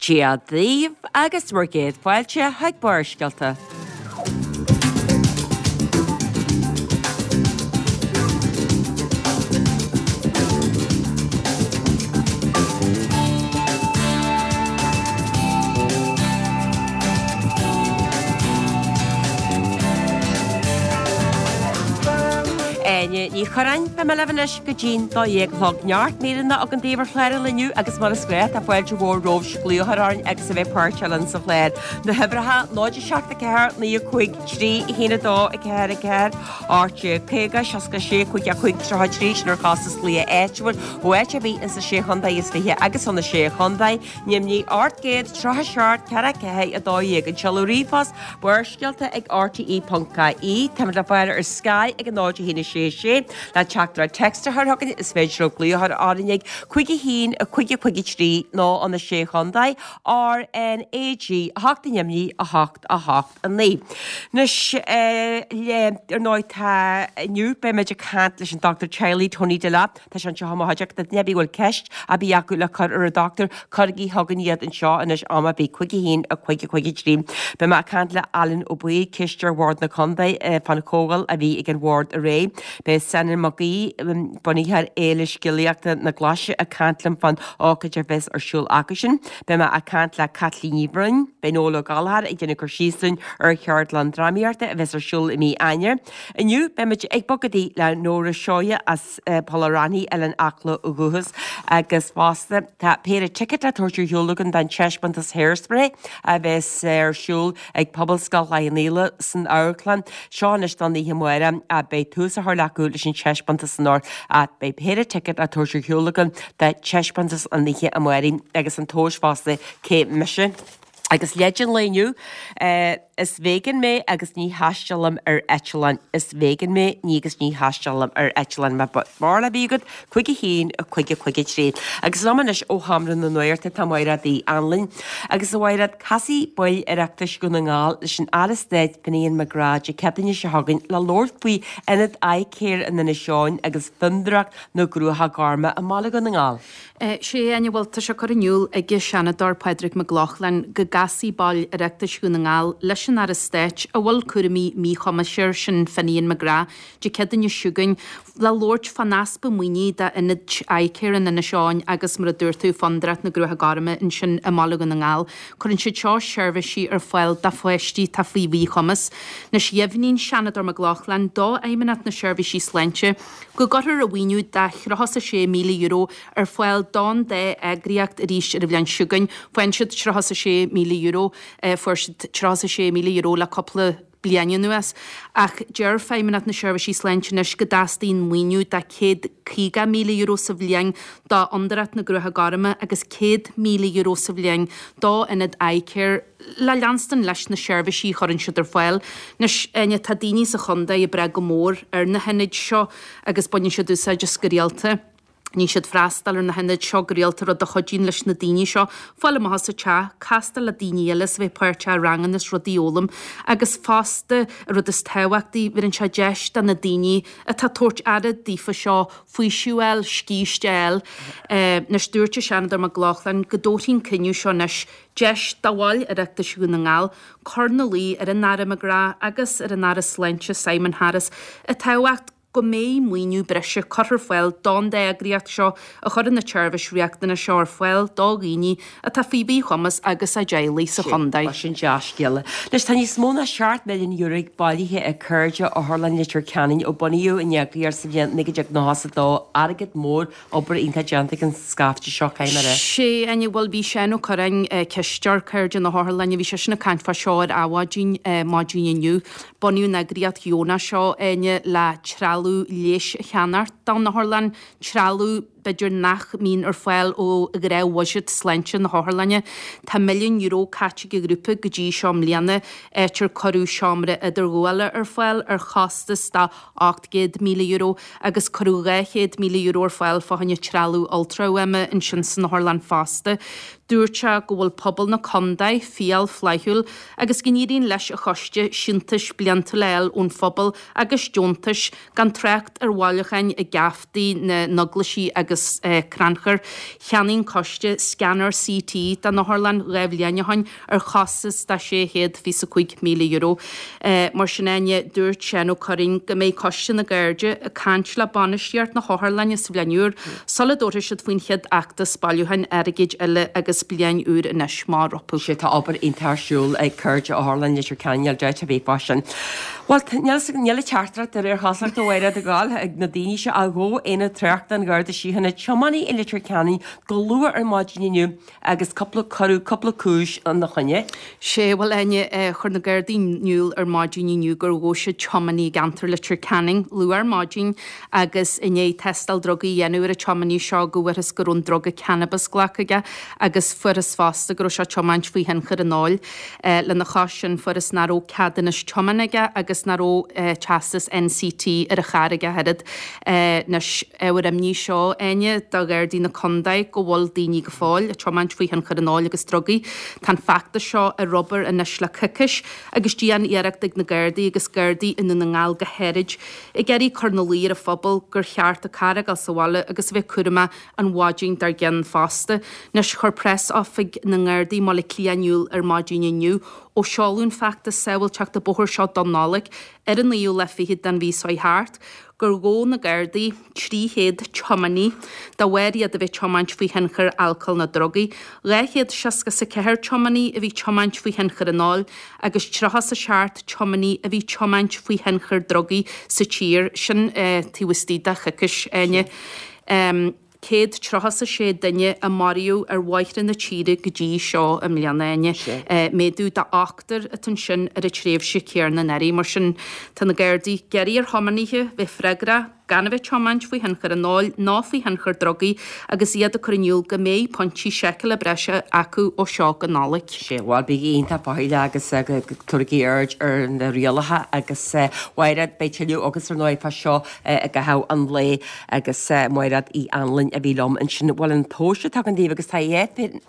Dia daoibh agus bhur gcéad fáilte chuig Barrscéalta. Áine Ní Churráin, beidh mé libh anois go dtí'n 12 a chlog. Neart míreanna againn daoibh ar chlár an lae inniu agus mar is gnách tá fáilte mhór romhaibh glaoch a chur orainn agus a bheith páirteach linn sa chlár. Na huimhreacha 0 7 4 9 5 3 1 2 4 4 18 50 66 55 33 sin ar chostas glaoch áitiúil ó áit ar bith insa Sé Chontae is Fiche agus ó na Sé Chontae, Nimhní 837 4 4 12 An seoladh ríomhphost, Barrscéalta ag rte.ie Táimid le fáil ar Sky ag 0 1 6 6 Le teachtaireacht text a chur chugainn is féidir libh glaoch a chur orainn ag 5 1 5 5 3 nó ó na Sé Chontae, RnaG 8 i nDoimní 8 8 9. Anois le ar ndóigh tá inniu beimid ag caint leis an dochtúir teaghlaigh Tony Delap. Tá sé anseo i mo chuideachta. Duine ar bith a bhfuil ceist ar bith acu le cur ar an dochtúir, cuirigí chugainn iad anseo anois am ar bith, 5 1 5 5 3. Beidh mé ag caint le Alan Ó Baoill, Cisteoir Bhord na Contae, fán chomhdháil a bhí ag an Bhord aréir. Beidh Senan Mac Aoidh, bunaitheoir Fhéile Scéalaíochta na Glaise ag caint liom fán ócáid a bheas ar siúl acusin. Beidh mé ag caint le Caitlín Ní Bhroin. Beidh Noel Ó Gallchóir ag déanamh cur síos dúinn ar cheardlann drámaíochta a bheas ar siúl i mí Eanáir. Inniu beimid ag bogadaí le Nóra Seoighe as Poll a' Raithní, Oileán Acla ó dhúchas, agus fosta tá péire ticéad le tabhairt ar shiúl againn don taispeántas Hairspray a bheas ar siúl ag Pobalscoil Chloich Cheann Fhaola san amharclann seo anois don oíche amárach. Beidh tús á chur acu leis an taispeántas anocht ach beidh péire ticéad le tabhairt ar shiúl againn do taispeántas an oíche amárach agus an tomhas fosta cé mise. Agus leid an lae inniu, Is vegan mé agus ní thaistealaim ar eitleán. Is vegan mé ní agus ní thaistealaim ar eitleán. Má barúil ar bith agat, 5 1 5 5 3. Agus liom anois ó Sheomra na Nuachta tá Mairéad Uí Anluain. Agus a Mhairéad, casfaidh baill Oireachtais Dhún na nGall leis an Aire Stáit Finian McGrath Dé Céadaoine seo chugainn le labhairt faoi Ionad Eye-Care in Inis Eoghain agus Fondúireacht na gCruacha Gorma i mBaile Dhún na nGall. Sea, a Áine, bhuel, tá sé curtha in iúl ag an Seanadóir Pádraig Mac Lochlainn go gcasfaidh baill Oireachtais Dhún na nGall leis an Aire Stáit a bhfuil cúraimí míchumais air, sin Finian McGrath, Dé Céadaoine seo chugainn le labhairt fán easpa maoinithe d'Ionad Eye-Care in Inis Eoghain agus, mar a dúirt tú, Fondúireacht na gCruacha Gorma ansin i mBaile Dhún na nGall. Cuireann siad seo seirbhísí ar fáil do pháistí atá faoi mhíchumas. Anois, dheimhnigh an Seanadóir Mac Lochlainn do Fheidhmeannacht na Seirbhísí Sláinte go gcuirfear an mhaoiniú de €36,000 ar fáil don dá eagraíocht arís ar an bhliain seo chugainn. Faigheann siad €36,000, fuair siad €36,000 le cúpla bliain anuas. Ach deir Feidhmeannacht na Seirbhísí Sláinte anois go dteastaíonn maoiniú de €150,000 sa bhliain do Fhondúireacht na gCruacha Gorma agus €100,000 sa bhliain d'Ionad Eye-Care le leanstan leis na seirbhísí a chuireann siad ar fáil. Anois, Áine, tá daoine sa chontae ag brath go mór ar na hionaid seo agus baineann siad úsáid as go rialta. Níl siad freastal ar na hionaid seo go rialta, rud a chuidíonn leis na daoine seo fáil amach as an teach, castáil le daoine eile is a bheith páirteach i ranganna is rudaí a fhoghlaim. Agus fosta, an rud is tábhachtaí, bheireann sé deis do na daoine atá ag tabhairt aire daofa seo faoiseamh a fháil, scíste a fháil. Anois, dúirt an Seanadóir Mac Lochlainn go dtabharfaidh an cinneadh seo anois Deis do bhaill Oireachtais Dhún na nGall cur ina luí ar an Aire McGrath agus ar an Aire Sláinte Simon Harris i dtábhacht go mbeidh maoiniú breise curtha ar fáil don dá eagraíocht seo a chuireann na tseirbhís riachtanach seo ar fáil do dhaoine atá faoi mhíchumas agus a dteaghlaigh sa chontae. Bhuel, sin dea-scéala. Anois, tá níos mó ná €7 milliún bailithe ag Cairde Otharlann Leitir Ceanainn ó bunaíodh an eagraíocht sa bhliain 1992, airgead mór Obair iontach déanta ag an scaifte seo, caithfidh mé a rá. Sea, a Áine, bhuel bhí Seán Ó Curráin, cisteoir Cairde na hOtharlainne, bhí seisean ag caint fá seo ar Adhmhaidin maidin inniu. Bunaíodh an eagraíocht dheonach seo, a Áine, le trealamh leighis a cheannacht don otharlann, trealamh b'fhéidir nach mbíonn ar fáil ó ghnáthbhuiséad sláinte na hotharlainne. Tá €1 milliún caite ag an ghrúpa go dtí seo i mbliana, áit ar cuireadh seomra idirghabhála ar fáil ar chostas de €800,000 agus cuireadh €200,000 ar fáil fá choinne trealamh ultrafhuaime ansin san otharlann fosta. Dúirt sé go bhfuil pobal na condae fial flaithiúil agus go n-éiríonn leis an choiste síntiúis bliantúil a fháil ón phobal agus deontais, gan trácht ar bhailiúcháin i gceaftaí na n-eaglaisí agus. agus Crannchur. Cheannaigh an coiste scanner CT don otharlann 2 bhliain ó shoin ar chostas de €625,000. Mar sin Áine, dúirt Seán Ó Curráin go mbeidh Coiste na gCairde ag caint le bainistíocht na hotharlainne sa bhliain úr sula dtabharfaidh siad faoin chéad fheachtas bailiúcháin airgid eile agus bliain úr anois amach rompu. Sea, tá obair iontach ar siúl ag Cairde Otharlann Leitir Ceanainn, níl dabht ar bith fá sin. Bhuel, níl an teachtaireacht de réir chosúlachta a Mháire ag gabháil ag na daoine seo ach ghabh Aonad Tráchta an Gharda Síochána tiománaí i Leitir Ceanainn go luath ar maidin inniu agus cúpla, cuireadh cúpla cúis ina choinne. Sea, bhuel, Áine, chuir na Gardaí in iúl ar maidin inniu gur ghabh siad tiománaí i gceantar Leitir Ceanainn luath ar maidin agus i ndiaidh tástáil drugaí a dhéanamh ar an tiománaí seo go bhfuarthas go raibh an druga cannabis glactha aige agus fuarthas fosta go raibh sé ag tiomáint faoi thionchar an óil. Lena chois sin fuarthas nach raibh ceadúnas tiomána aige agus nach raibh teastas NCT ar a charr aige ach oiread. Anois, ábhar imní seo, Áine, do Ghardaí na Condae go bhfuil daoine go fóill ag tiomáint faoi thionchar an óil agus drugaí. Tá an feachtas seo ar obair anois le coicís agus dian-iarracht ag na Gardaí agus Gardaí i nDún na nGall go háirid ag iarraidh cur ina luí ar an phobal gur cheart an carr a fhágáil sa bhaile agus a bheith cúramach an mhaidin dár gcionn fosta. Anois chuir Preas-Oifig na nGardaí i mBaile Átha Cliath in iúl ar maidin inniu ó seoladh an feachtas sábháilteachta bóthair seo don Nollaig ar an naoú lá fichead den mhí seo thart, gur ghabh na Gardaí 300 tiománaí de bharr iad a bheith tiomáint faoi thionchar alcóil nó drugaí, 264 tiománaí a bhí tiomáint faoi thionchar an óil agus 37 tiománaí a bhí tiomáint faoi thionchar drugaí sa tír, sin taobh istigh de choicís, Áine. 136 duine a maraíodh ar bhóithre na tíre go dtí seo i mbliana, Áine. Méadú de ochtar atá ansin ar an tréimhse chéanna anuraidh. Mar sin, tá na Gardaí ag iarraidh ar thiománaithe bheith freagrach, gan a bheith ag tiomáint faoi thionchar an óil ná faoi thionchar drugaí agus iad ag cur in iúl go mbeidh pointí seiceála breise acu ó seo go Nollaig. Sea, bhuel, bígí iontach faichilleach agus tabhairigí aird ar na rialacha agus Mhairéad, beidh tuilleadh agatsa ar ndóigh fá seo i gcaitheamh an lae agus Mairéad Uí Anluain a bhí liom ansin. Bhuel, an tomhas atá againn daoibh agus tá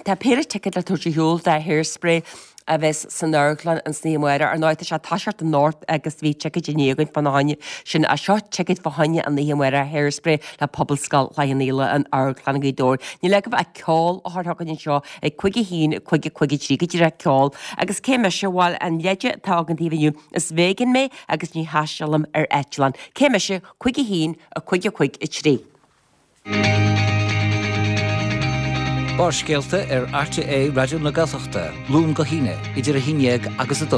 tá péire ticéad le tabhairt ar shiúl do Hairspray a bheas san amharclann an oíche amárach. Ar ndóigh, tá sé ag toiseacht anocht agus bhí ticéid inné againn fána choinne sin. Ach seo ticéid fá choinne an oíche amárach Hairspray le Pobalscoil Chloich Cheann Fhaola in Amharclann Ghaoth Dobhair. Níl agaibh ach ceol a chur chugainn anseo ag 5 1 5 5 3 go díreach ceol. Agus cé mise? Bhuel, an leide atá againn daoibh inniu, is véigean mé agus ní thaistealaim ar eitleán. Cé mise? 5 1 5 5 3. Barrscéalta ar RTÉ Raidió na Gaeltachta, Luan go hAoine, idir 11 agus 12.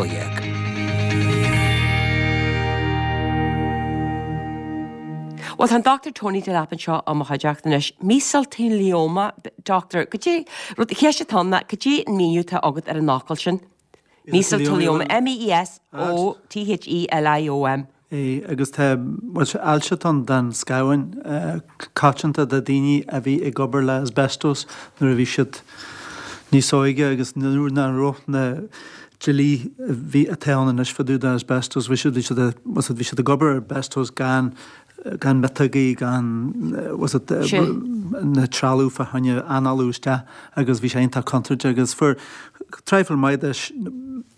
Bhuel, tá an Dr Tony Delap anseo i mo chuideachta anois. Mesothelioma, Doctor, goidé, rud, cheist atá ann ná, goidé an míniú atá agat ar an fhocal sin? Mesothelioma, M-E-S-O-T-H-E-L-I-O-M. É, agus tá, bhuel, sé ailse atá ann den scamhain, coitianta do daoine a bhí ag obair le asbestos nuair a bhí siad níos óige agus nuair nach raibh na dlí a bhí, atá ann anois fá dtaobh de asbestos, bhí siad, bhí siad, bhí siad ag obair ar asbestos gan, gan miotógaí, gan, was it, na trealamh fá choinne análú isteach agus bhí sé iontach contúirteach agus fuair traidhfil maith de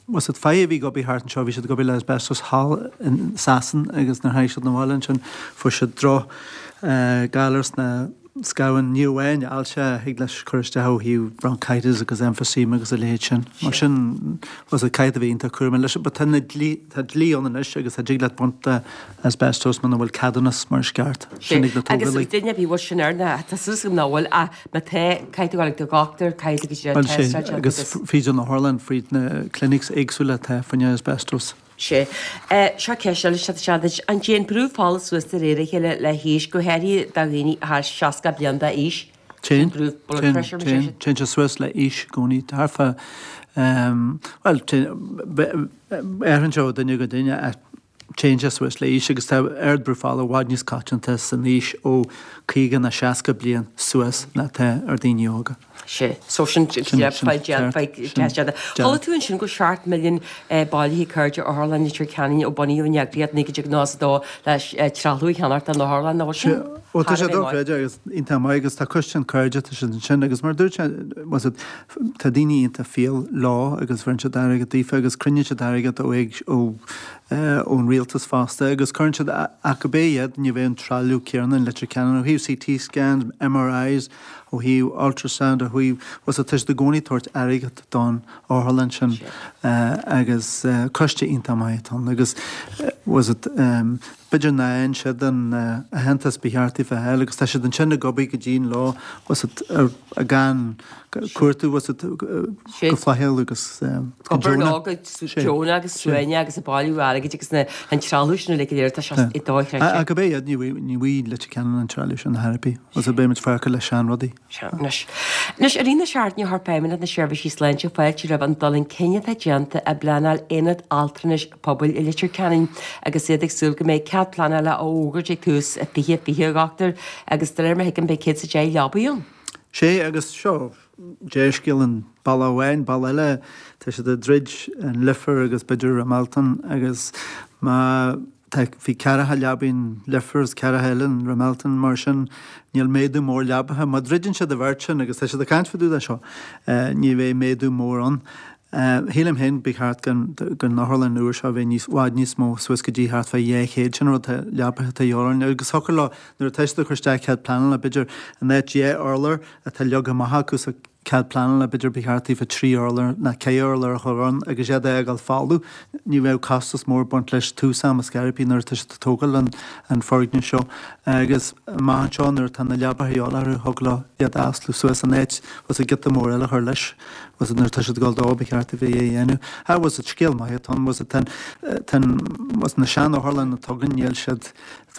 was it fir a bhí ag obair thart anseo, bhí siad ag obair le asbestos thall in Sasain agus nuair a tháinig siad 'na bhaile ansin fuair siad droch galar sna scamhain, ní amháin ailse, thig leis cur isteach ó thaobh bronchitis agus emphysema agus a leithéid sin. Mar sin was it caithfidh tú a bheith iontach cúramach leis but tá na dlí, tá dlí ann anois agus tá dtig leat baint de asbestos muna bhfuil ceadúnas mar is ceart. Sin ag na Agus tógálaí. duine ar bith bhfuil sin air na, tá súil agam nach bhfuil ach má tá, caithfidh tú dul ag do dhochtúir, caithfidh tú go dtí an Bhuel sé, tástáil agus agus. fríd an otharlann, fríd na clinics éagsúla atá fá choinne asbestos. Sea. Seo ceist eile isteach duit. An dtéann brú fola suas de réir a chéile le haois, go háirithe do dhaoine thar 60 bliain d'aois? Téann, téann, téann, téann sé suas le haois i gcónaí. Thart fá, bhuel, téann, athraíonn sé ó duine go duine ach téann sé suas le haois agus tá ardbhrú fola i bhfad níos coitianta san aois ó 50 nó 60 bliain suas ná atá ar daoine óga. Sea. So sin Chuala tú ansin go 7 milliún bailithe Cairde Otharlann Leitir Ceanainn ó bunaíodh an eagraíocht 1992 le trealamh a cheannacht don otharlann, nach bhfuil sin Bhuel tá sé dochreidte agus iontach maith agus tá coiste an Cairde tá siad ansin agus mar a dúirt sé was it tá daoine iontach fial leo agus bheireann siad airgead daofa agus cruinníonn siad airgead ó ó ón rialtas. rialtas fosta agus cuireann siad ach go bé iad ní bheidh an trealamh céanna in Leitir Ceanainn ó thaobh CT scans, MRIs, ó thaobh ultrasound, ó thaobh, bhuel tá siad i gcónaí ag tabhairt airgead don otharlann sin agus coiste iontach maith atá ann agus bhuel b'fhéidir nach bhfaigheann siad an aitheantas ba cheart daofa a fháil agus tá siad ansin ag obair go dian leo bhuel gan cuartú go flaithiúil agus go deonach. Go deonach agus suaimhneach agus ag bailiú airgid agus na an trealamh sin uilig go léir tá sé dochreidte. Ach go bé iad ní bhfaighidh Leitir Ceanainn an trealamh sin ar chor ar bith agus beidh muid fágtha le seanrudaí. Sea, anois. Anois, i rith na seachtaine chuir Feidhmeannacht na Seirbhísí Sláinte fáilte roimh an dul chun cinn atá déanta i bpleanáil aonad altranais pobail i Leitir Ceanainn agus iad ag súil go mbeidh cead pleanála á fhógairt ag tús 2020, a dhochtúir, agus de réir mar a thuigim beidh 110 leabaí ann. Sea, agus seo dea-scéal an bealach amháin, bealach eile, tá siad ag druid an Leifear agus b'fhéidir Ramelton agus má tá, bhí ceathracha leabaidh in Leifear agus ceathracha eile in Ramelton, mar sin níl méadú mór leabaithe. Má druideann siad an bheirt sin, agus tá siad ag caint fá dtaobh de seo, ní bheidh méadú mór ann. Shílim féin ba cheart don otharlann nua seo a bheith níos, bhfad níos mó, suas go dtí thart fá 200, sin an rud atá leapaithe atá a dhíobháil orainn agus thiocfadh leo nuair atá siad ag cur isteach cead pleanála b'fhéidir in áit 10 urlár atá leagtha amach acu sa cead pleanála b'fhéidir ba cheart daofa 3 urlár ná 4 urlár a chur ann agus iad a fhágáil folamh. Ní bheadh costas mór ag baint leis tús ama scairpí nuair atá siad ag tógáil an foirgneamh seo agus amach anseo nuair atá na leapaithe a dhíobháil orthu thig leo iad a oslú suas in áit bhfuil giota mór eile a chur leis. Bhfuil a fhios agat nuair atá siad ag dul dó, ba cheart a bheith é a dhéanamh. Ah, bhfuil a fhios agat, scéal maith atá ann, bhfuil a fhios agat, tá an, tá an, bhfuil a fhios agat, na sean-otharlanna atá againn, níl siad,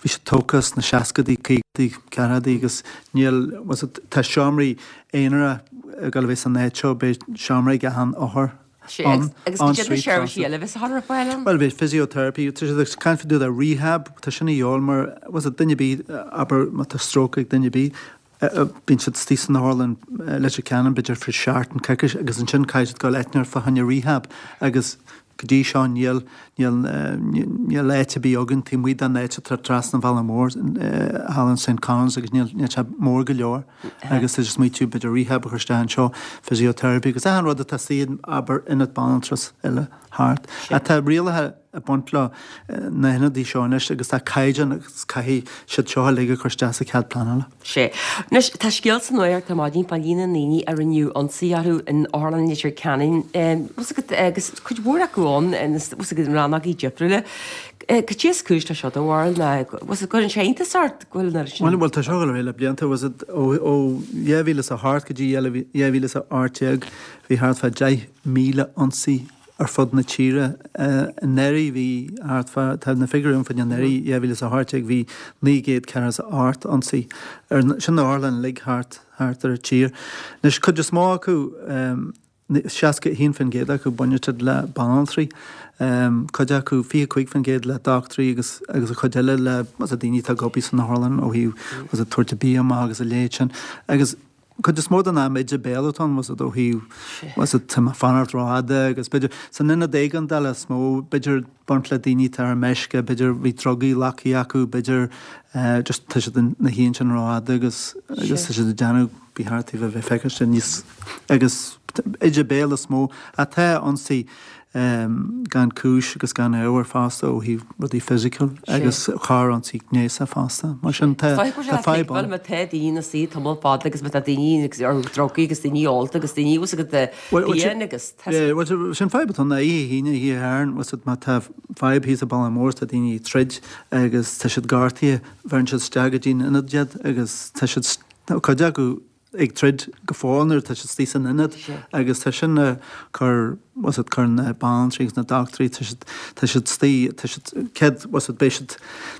bhí siad tógtha sna seascadaí, caogaidí, ceathrachaidí agus níl, bhfuil a fhios agat, tá seomraí aonair ag dul a bheith san áit seo, beidh seomra ag achan othar Sé, ann, agus en cad iad na suite seirbhísí fosta. eile a bheas á chur ar fáil ann? Bhuel, beidh physiotherapy, tá siad ag caint fá dtaobh de rehab, tá sin a dhíobháil mar, bhfuil a fhios agat, duine ar bith, abair, má tá stroke ag duine ar bith, Bíonn siad istigh san otharlann Leitir Ceanainn b'fhéidir fá seachtain, coicís agus ansin caithfidh siad dul áit inteacht fá choinne rehab agus go dtí seo níl, níl, níl áit ar bith againn taobh amuigh den áit atá trasna an Bhealaigh Mhóir, thall in St Conan's agus níl, níl sé mór go leor agus tá siad ag smaoitiú b'fhéidir rehab a chur isteach anseo, physiotherapy agus achan rud atá istigh in, abair, ionad banaltrais eile thart. Tá rialacha. ag baint le na hionadaí seo anois agus tá caighdeán agus caithfidh siad seo uilig a chur isteach sa chead pleanála. Sea. Anois, tá scéal sa nuacht ar maidin fá líon na ndaoine a rinneadh ionsaí orthu in Otharlann Leitir Ceanainn, bhfuil a fhios agat, agus cuid mhór acu ann, bhfuil a fhios agat, in rannógaí difriúla. Cad é is cúis le seo, do bharúil, nó bhfuil a fhios agat, cuireann sé iontas ort go bhfuil an oiread sin. Bhuel, tá seo ag dul ar aghaidh le blianta, bhfuil a fhios agat, ó 2008 go dtí 2018 bhí thart fá 10,000 ionsaí ar fud na tíre. Anuraidh bhí thart fá, tá na figiúirí ann fá anuraidh, 2018, bhí 948 ionsaí ar, sin na otharlanna uilig thart, thart ar an tír. Anois, cuid is mó acu, 61% acu, baineann siad le banaltraí, cuid acu, 25% le dochtúirí agus, agus an chuid eile le, daoine atá ag obair san otharlann ó thaobh, tabhairt bia amach agus a leithéid sin. Agus. Cuid is mó den am íde béil atá ann, bhfuil a fhios agat, ó thaobh, bhfuil a fhios agat, tá mé ag fanacht rófhada agus b'fhéidir, san ionad éigeandála is mó, b'fhéidir baint le daoine atá ar meisce, b'fhéidir bhí drugaí glactha acu, b'fhéidir just tá siad ina shuí ansin rófhada agus agus tá siad ag déanamh ba cheart daofa a bheith feiceáilte níos agus íde béil is mó atá ionsaí gan cúis agus gan ábhar fosta ó thaobh rudaí fisiciúil agus corr-ionsaí gnéasach fosta. Mar sin tá fadhb ann. Má tá daoine ina suí tamall fada agus má tá daoine ar drugaí agus daoine ólta agus daoine bhfuil a fhios agat fiáin agus tá. Bhuel sin fadhb atá ann oíche hAoine, oíche Shathairn, bhfuil a fhios agat má tá fadhb thíos i Baile Mór tá daoine ag troid agus tá siad gortaithe, bheireann siad isteach go dtí an ionad iad agus tá siad, cuid acu, ag troid go fóill nuair atá siad istigh san ionad agus tá sin ag cur, bhfuil a fhios agat, cur na banaltraí agus na dochtúirí, tá siad, tá siad istigh, tá siad, céad, bhfuil a fhios agat, beidh siad,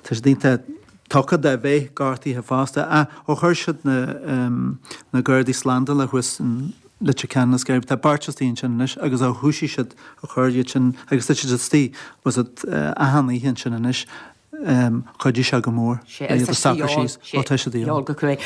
tá siad iontach tugtha de bheith gortaithe fosta. Ach ó chuir siad na, na Gardaí Slándála thuas in Leitir Ceanainn is Gaillimh, tá beirt istigh ansin anois agus ó thoisigh siad a chur iad sin agus tá siad istigh, bhfuil a fhios agat, achan oíche ansin anois. Chuidigh sé go mór le iad a socrú síos. Ó tá siad de dhíobháil go cruaidh.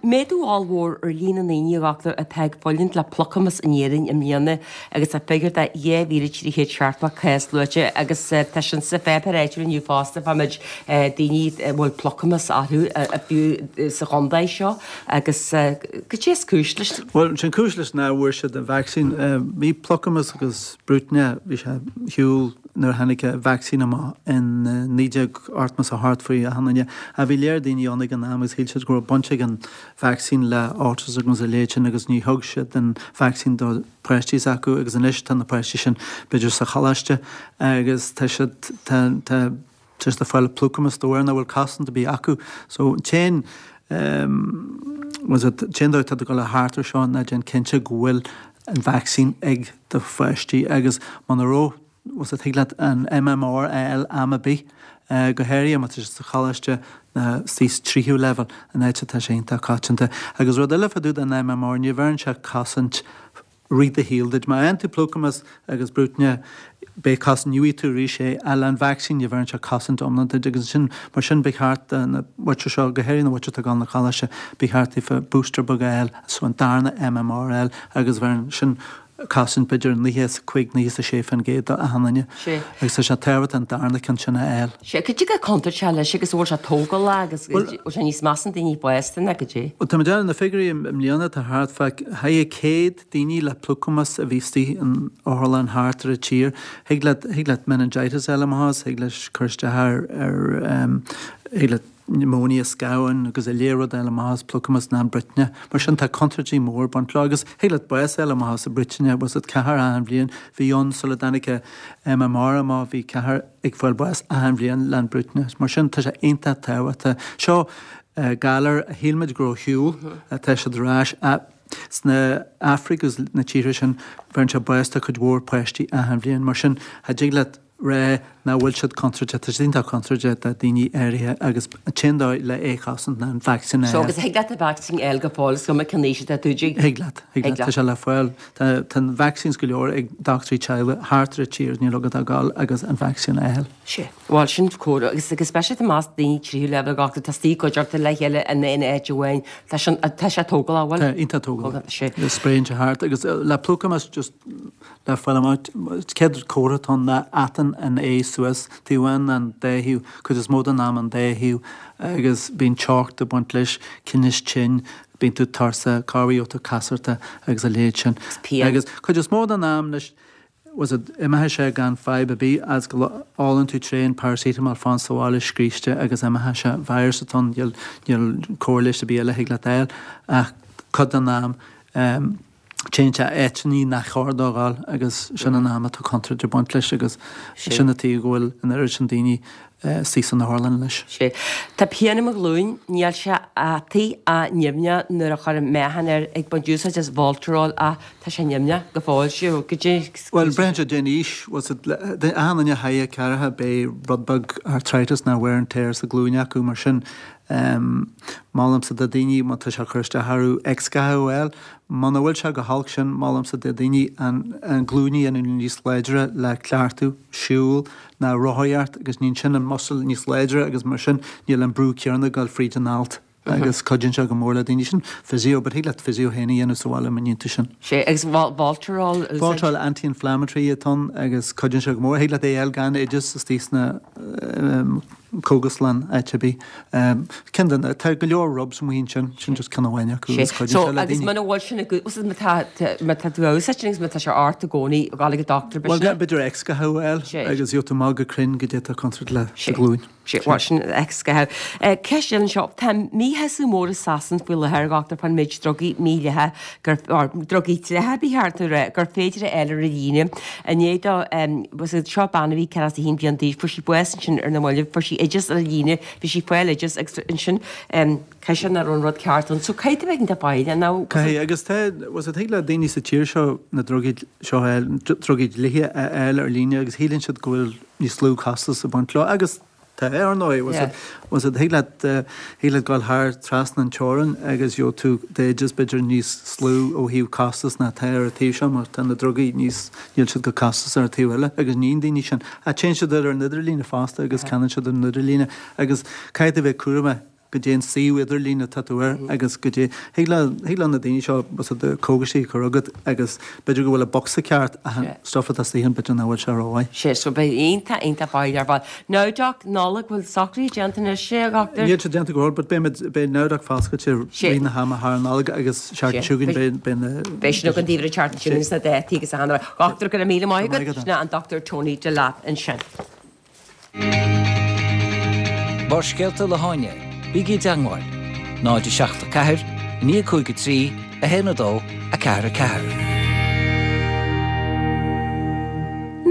Méadú ollmhór ar líon na ndaoine, a dhochtúir, atá ag fulaingt le plucamas in Éirinn i mbliana agus tá figiúr de 2,370 cás luaite agus tá sin sa pháipéar áitiúil inniu fosta fá méid daoine a bhfuil plucamas orthu fiú sa chontae seo agus cad é is cúis leis? Bhuel, sin cúis leis ná bhfuair siad an vacsaín. Bhí plucamas agus brúitne, bhí sé ar shiúl. nuair a tháinig an vacsaín amach in 1988 faoi achan duine. Ach bhí léar daoine ann ag an am agus shíl siad go raibh baint ag an vacsaín le autism agus a leithéid sin agus ní thug siad an vacsaín do pháistí s'acu agus anois tá na páistí sin b'fhéidir sa choláiste agus tá siad, tá, tá, tá siad ag fáil plucamas de bharr nach bhfuil cosaint ar bith acu. So an t-aon, bhfuil a fhios agat, an t-aon dóigh atá tú ag dul thart ar seo ná déan cinnte go bhfuil an vacsaín ag do pháistí agus muna raibh, bhfuil a fhios agat, thig leat an MMR a fháil am ar bith, go háirithe má tá siad sa choláiste nó sa tríú leibhéal, an áit atá sé iontach coitianta. Agus rud eile fá dtaobh den MMR, ní bheireann sé cosaint rith do shaoil duit. Má fhaigheann tú plucamas agus bruitinne, beidh cosaint, gheobhaidh tú arís é, ach le an vacsaín ní bheireann sé cosaint iomlán duit agus sin, mar sin ba cheart do na muintir seo, go háirithe na muintir atá ag dul 'na choláiste, ba cheart daofa booster beag a fháil, so an darna MMR a fháil agus bheireann sin cosaint b'fhéidir 95, 96% do achan duine. Sea. Agus tá sé tábhachtach an darna ceann sin a fháil. Sea, cad é chomh contúirteach leis agus an bhfuil sé tógálach agus an bhfuil sé níos measa in daoine fásta ná cad é? Bhuel, tá muid ag na figiúirí i mbliana, tá thart fá 100 daoine le plucamas a bhí istigh in otharlann thart ar an tír. Thig leat, thig leat meningitis a fháil amach as, thig leis cur isteach ar, ar, thig leat pneumonia scamháin agus a leithéid rud a fháil amach as plucamas ná an bruitinne. Mar sin tá contúirtí mór ag baint leo agus thig leat bás a fháil amach as an bruitinne, bhfuil a fhios agat ceathrar achan bhliain, bhí ann sula dtáinig MMR amach, bhí ceathrar ag fáil bás achan bhliain le an bruitinne. Mar sin tá sé iontach tábhachtach. Seo galar a shíl muid go raibh ar shiúl, tá siad ar ais. Sna Afraic agus na tíortha sin bheireann sé bás do cuid mhór páistí achan bhliain. Mar sin cha dtig leat rá nach bhfuil siad contúirteach, tá siad iontach contúirteach do daoine áirithe agus an t-aon dóigh le é chosaint ná an vacsaín a So fháil. agus thig leat an vacsaín a fháil go fóill, is cuma cén aois atá tú, dtig? Thig leat, thig leat, tá sé le fáil. Tá tá an vaccines go leor ag dochtúirí teaghlaigh thart ar an tír, níl agat ach gabháil agus an vacsaín a fháil. Sea, bhuel sin cóir agus agus speisialta i measc daoine tríú leibhéal gach tá istigh i gcuideachta le chéile in aon áit amháin, tá sin tá sé tógálach, bhfuil? Tá, iontach tógálach. Sea. Spréann sé thart agus le plucamas just Le fáil amach, céad comhartha atá ann ná atann an ae suas, taobh amháin nó an dá thaobh, cuid is mó den am an dá thaobh, agus bíonn teocht ag baint leis, tinneas tinn, bíonn tú tuirseach, corruair gheobhaidh tú casartach agus a leithéid sin. Pian. Agus cuid is mó den am leis, bhfuil a fhios agat, imeoidh sé gan fadhb ar bith as go ólann tú tréan paracetamol fán sa bhaile scríste agus imeoidh sé, virus atá ann, níl, níl cóir leighis ar bith eile a thig leat a fháil ach cuid den am, Téann sé áiteannaí nach chóir dó dhul agus sin an am atá contúirt ag baint leis agus sin an tuige go bhfuil an oiread sin daoine istigh san otharlann anois. Sea. Tá pian i mo ghlúin, níl sé ataí ach nimhneach nuair a chuirim meáchan air, ag baint úsáid as Voltarol ach tá sé nimhneach go fóill. Sea, goidé. Bhuel, braitheann sé dén aois, bhfuil a fhios agat, achan duine a thaithe ceathracha beidh rud beag arthritis ná wear and tear sa ghlúin acu mar sin molaimse do daoine má tá sé ag cur isteach orthu x-gha a fháil. Muna bhfuil sé chomh holc sin, molaimse do daoine an glúin a dhéanamh níos láidre le cleachtadh, siúl ná rothaíocht agus níonn sin an muscle níos láidre agus mar sin níl an brú céanna ag dul fríd an alt agus cuidíonn sé go mór le daoine. Sin physio, but thig leat physio féin a dhéanamh sa bhaile má níonn tú sin. Sea, agus Voltarol a úsáid? Voltarol anti-inflammatory atá ann agus cuidíonn sé go mór. Thig leat é a fháil gan oideas istigh sna cógaslann áit ar bith. Ceann de na, tá go leor rubs amuigh ansin, sin just ceann amháin acu agus cuidíonn So sé le agus daoine. muna bhfuil sin agat, bhfuil má tá má tá tú á úsáid sin agus má tá sé ort i gcónaí, gabháil ag an dochtúir Bhuel, b'fhéidir. b'fhéidir x-gha a fháil Sea. agus gheobhaidh tú amach go cruinn goidé atá contúirteach le do Sea. ghlúin. Sea, bhuel sin x-gha. Ceist eile anseo, tá míshásamh mór i Sasain faoi láthair, a dhochtúir, fán méid drugaí mídhleathacha gur, or drugaí dleathacha ba cheart a rá, gur féidir a fháil ar líne. I ndiaidh dó, seo bean a bhí 41 bliain d'aois, fuair sí bás ansin ar na mallaibh, fuair sí oideas ar líne, bhí sí ag fáil oideas agus ansin caithfidh sé nach raibh an rud ceart ann. So caithfidh tú a bheith iontach foighdeach nó. Caithfidh, agus tá, bhfuil a fhios agat, thig le daoine sa tír seo na drugaí seo a fháil, drugaí dlíthe a fháil ar líne agus shíleann siad go bhfuil níos lú costas ag baint leo agus Tá, ar ndóigh. Bhfuil a fhios agat, thig leat, thig leat dul thar trasna an teorainn agus gheobhaidh tú d'oideas b'fhéidir níos lú ó thaobh costas ná atá ar an taobh seo mar tá na drugaí níos, níl siad chomh costasach ar an taobh eile agus níonn daoine sin. Ach téann siad ar an idirlíne fosta agus ceannaíonn siad ar an idirlíne agus caithfidh tú a bheith cúramach. goidé an suíomh idirlín atá tú air agus goidé, thig le, thig le na daoine seo b'fhéidir cógaisí a chur chugat agus b'fhéidir go bhfuil an bocsa ceart ach an stuff atá istigh ann b'fhéidir nach bhfuil sé rómhaith. Sea, so beidh iontach, iontach fáil ar fad. Nowdoc, Nollaig, bhfuil socruithe déanta anois, a dhochtúir? Níl sé déanta go fóill but beidh muid, beidh Nowdoc foscailte rith na hama thar an Nollaig agus seachtain seo chugainn beidh, beidh na. Beidh sin againn daoibh ar an tseachtain seo chugainn sna dátaí agus achan rud. Dhochtúir, go raibh míle maith agat. Sin é an Dr Tony Delap ansin. Barrscéalta le hÁine, bígí i dteangmháil, 0 7 4 9 5 3 1 2 4 4.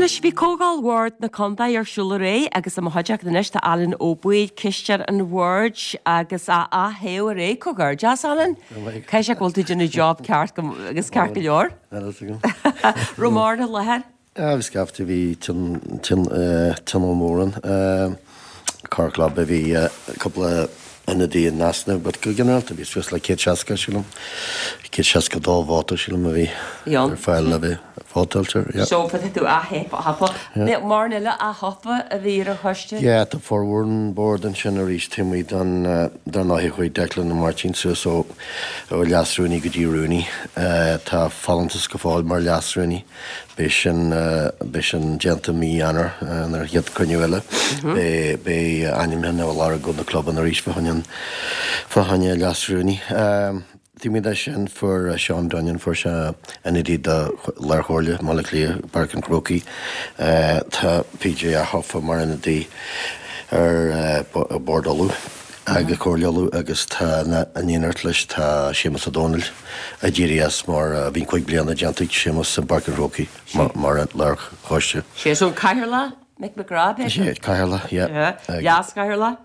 Anois, bhí Comhdháil Bhord na Contae ar siúl aréir agus i mo chuideachta anois tá Alan Ó Baoill, cisteoir an bhoird agus á aththoghadh aréir. Comhghairdeas, Alan. Caithfidh sé go bhfuil tú ag déanamh job ceart agus ceart go leor. Raibh mórán i láthair? Bhí scaifte, bhí tionól mór ann. Corrchlub a bhí cúpla ionadaí in easnamh but go ginearálta bhí suas le 160 sílim, 162 vóta sílim a bhí ar fáil le bheith vótáilte air. So tá tú ath-thofa. Mórán eile ath-thofa a bhí ar an choiste? Yeah, tá formhór an bord ansin arís taobh amuigh den, dar ndóigh chuaigh Declan Ó Máirtín suas ó leas-rúnaí go dtí rúnaí. Tá folúntas go fóill mar leas-rúnaí. Beidh sin, beidh sin déanta mí Eanáir nuair an chéad cruinniú eile. Beidh, beidh ainmneacha á lorg ó na clubanna arís fá choinne an, fá choinne leas-rúnaí. Taobh amuigh de sin fuair Seán Dunnion, fuair sé ionadaí do Lár-Chomhairle Bhaile Átha Cliath, Páirc an Chrócaigh. Tá PJ ath-thofa mar ionadaí ar Bord Uladh agus Comhairle Uladh agus tá in éineacht leis tá Séamus Ó Domhnaill a d'éirigh as mar bhí 5 bliana déanta ag Séamus i bPáirc an Chrócaigh mar lár-choiste. Sé so an Cathaoirleach, Mick McGrath, b'fhéidir? Sé, Cathaoirleach, yeah. Leas-Chathaoirleach?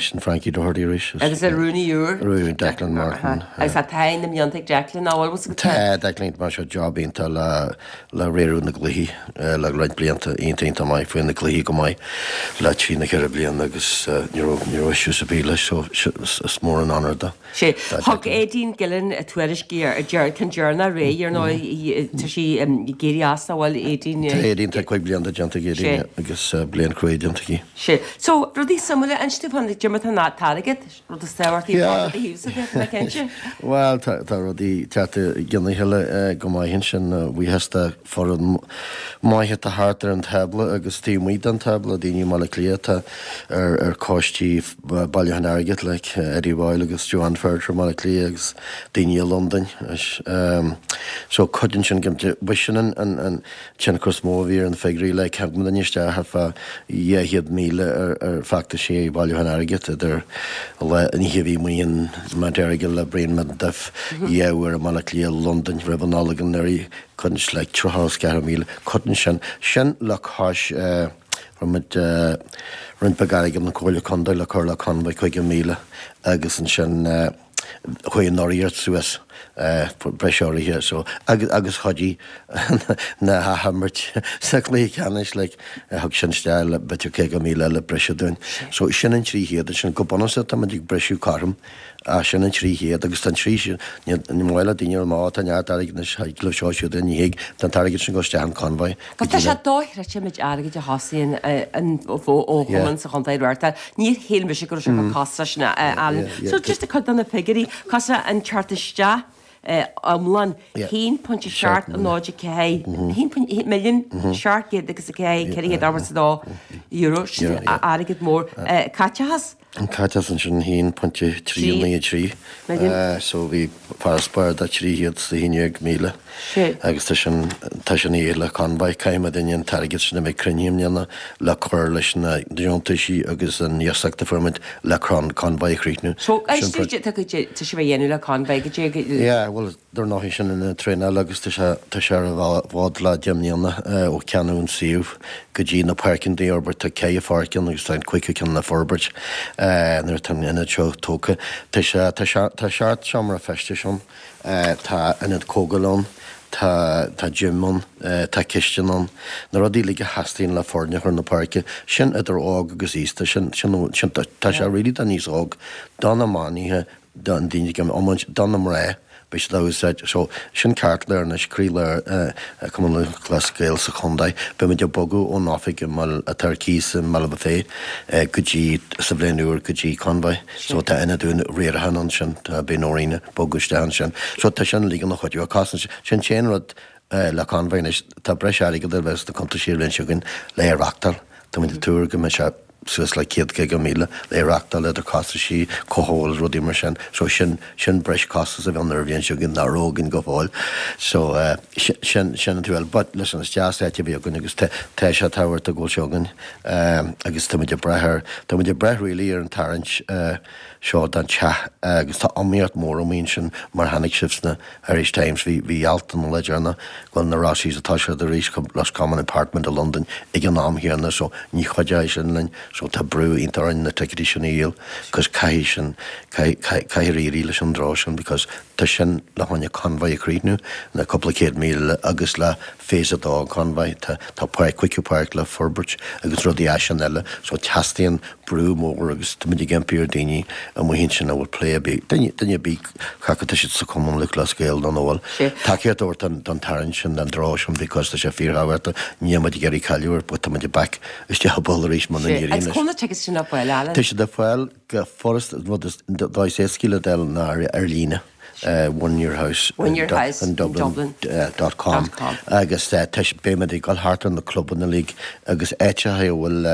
Sin Frankie Doherty arís. Agus an Rúnaí úr? Rúnaí Declan Martin. Agus tá taithí na mblianta ag Declan, nach bhfuil? Tá, Declan, rinne sé job iontach le le riaradh na gcluichí le roinnt blianta, iontach iontach maith, fuair na cluichí go maith le trí nó ceithre bliana agus ní raibh ní raibh issues ar bith leis so is mór an onóir do. Sé. Thug Aideen Gillen tuairisc ar ceann deireanach aréir, ar ndóigh, tá sí ag éirí as, nach bhfuil Aideen? Tá Aideen, tá 5 bliana déanta ag Aideen agus bliain chruaidh déanta aici. Sé. So, rudaí suimiúla, inis dúinn fán cad é mar atá an t-airgead, rud is tábhachtaí ar fad i do thaobhsa, tá mé cinnte. Bhuel, tá rudaí ag teacht i gcionn a chéile go maith ansin, buíochas do foireann maith atá thart ar an tábla agus taobh amuigh den tábla, daoine i mBaile Átha Cliath atá ar choistí bailiúchán airgid like Eddie Boyle agus Joanne Ferriter i mBaile Átha Cliath agus daoine i Londain. So cuidíonn sin go B'shin an tionchar is mó a bhí ar na figiúirí like thug muidinne isteach thart fá 200,000 ar feachtaisí bailiúchán airgid idir an oíche a bhí amuigh in Mount Errigal le Brian McDuff, dhá uair i mBaile Átha Cliath, Londain roimh an Nollaig anuraidh. Cuireann like 34,000, cuireann sin, sin le cois fuair muid roinnt beag airgid ón Comhairle Contae le cur le convoy 50,000 agus ansin chuaigh an urraíocht suas breis urraithe so agus agus chuidigh na hathimirt sa chluiche ceannais like thug sin isteach le b'fhéidir 50,000 eile breise dúinn. So sin an 300 ansin go bunúsach tá muid ag briseadh cothrom. Ah, sin an 300 agus tá an trí sin, ní maith le daoine a rá má tá neart airgid anois, thig leo seo siúd é, ní thig, tá an t-airgead sin ag dul isteach in convoy go dtí Tá sé dochreidte an méid airgid a thosaíonn an ó chumann sa chontae a reáchtáil. Níor shíl mise go raibh sé chomh costasach sin, Alan. So just cuid de na figiúirí, costas an teacht isteach iomlán, 1.7 0 4, 1 milliún 700 agus 4 482 euro, sin airgead mór. Caiteachas? An caiteachas ansin 1.393 so bhí farasbarr de 311,000 agus tá sin tá sin a le convoy. Caithfidh muidinne an t-airgead sin a bheidh cruinnithe i mbliana le cur leis na deontaisí agus an iasacht a fuair muid le convoy a chríochnú. So tá tá sibh a dhéanamh le convoy go dtí Yeah bhuel Dar ndóigh, sin ionad traenála agus tá sé tá sé ar an bhfód le 10 mbliana ó ceannaíodh an suíomh go dtí na páirceanna a fhorbairt. Tá ceithre pháirc ann agus tá an cúigiú ceann le forbairt nuair atá an ionad seo tógtha. Tá sé tá sé tá seacht seomra feistis ann, tá ionad comhdhála ann, tá tá gym ann, tá cistin ann, na rudaí uilig a theastaíonn le foirne a chur na páirce. Sin idir óg agus aosta, sin sin sin tá sé really do níos óg, do na manaithe, do na daoine ag iomáint, do na mná. Beidh siad á úsáid. So, sin ceartlár anois, croílár Chumann Lúthchleas Gael sa chontae. Beidh muid ag bogadh ón oifig i mBaile, atá ar cíos i mBaile Bhuirfé, go dtí, sa bhliain úr, go dtí Convoy. So, tá ionad úr riaracháin ansin, tá, beidh Noreen ag bogadh isteach ansin. So, tá sin uilig ina chuidiú. Costas, sin an t-aon rud le Convoy anois, tá breis airgid a bheith sna cuntaisí an bhliain seo chugainn le é a reachtáil. Tá muid ag tuar go mbeidh sé suas le 150,000 le reachtáil idir costaisí, cothabháil is rudaí mar sin. So sin, sin breis costas a bheidh ann ar an bhliain seo chugainn nach raibh againn go fóill. So eh sin, sin an taobh eile. But listen, is deas áit a bheith againn agus tá, tá sé tábhachtach go bhfuil sé againn. Eh agus tá muid ag brath ar, tá muid ag brath really ar an tarraingt eh seo don teach agus tá iomaíocht mór amuigh ansin mar chonaic sibh sna Irish Times bhí bhí alt ann an lá deireanach go bhfuil na Rossies ag toiseacht arís chun Roscommon apartment i Londain ag an am chéanna so ní chuideoidh sin linn so tá brú iontach orainn na ticéidí sin a dhíol cos caithfidh sin caithfidh caithfidh éirí leis an draw sin because tá sin le choinne Convoy a chríochnú na cúpla 100,000 eile agus le Phase 2 an Convoy tá tá páirc cúigiú páirc le forbairt agus rudaí as sin eile so teastaíonn brú mór agus táimid ag impí ar daoine amuigh ansin a bhfuil plé ar bith, duine, duine ar bith cé acu tá siad sa Chumann Lúthchleas Gael nó nach bhfuil, tacaíocht a thabhairt don, don tarraingt sin, don draw sin because tá sé fíorthábhachtach, níl muid ag iarraidh cailleadh air but tá muid back isteach i bpoll arís muna n-éiríonn leis. Agus cá bhfuil na tickets sin ar fáil, Alan? Tá siad ar fáil go furasta, rud is, dóigh is éascaí le d'fháil ná ar, ar líne. One Your House One Your House in Dublin dot com agus beidh muid ag dul thart ar na clubanna uilig agus áiteacha a bhfuil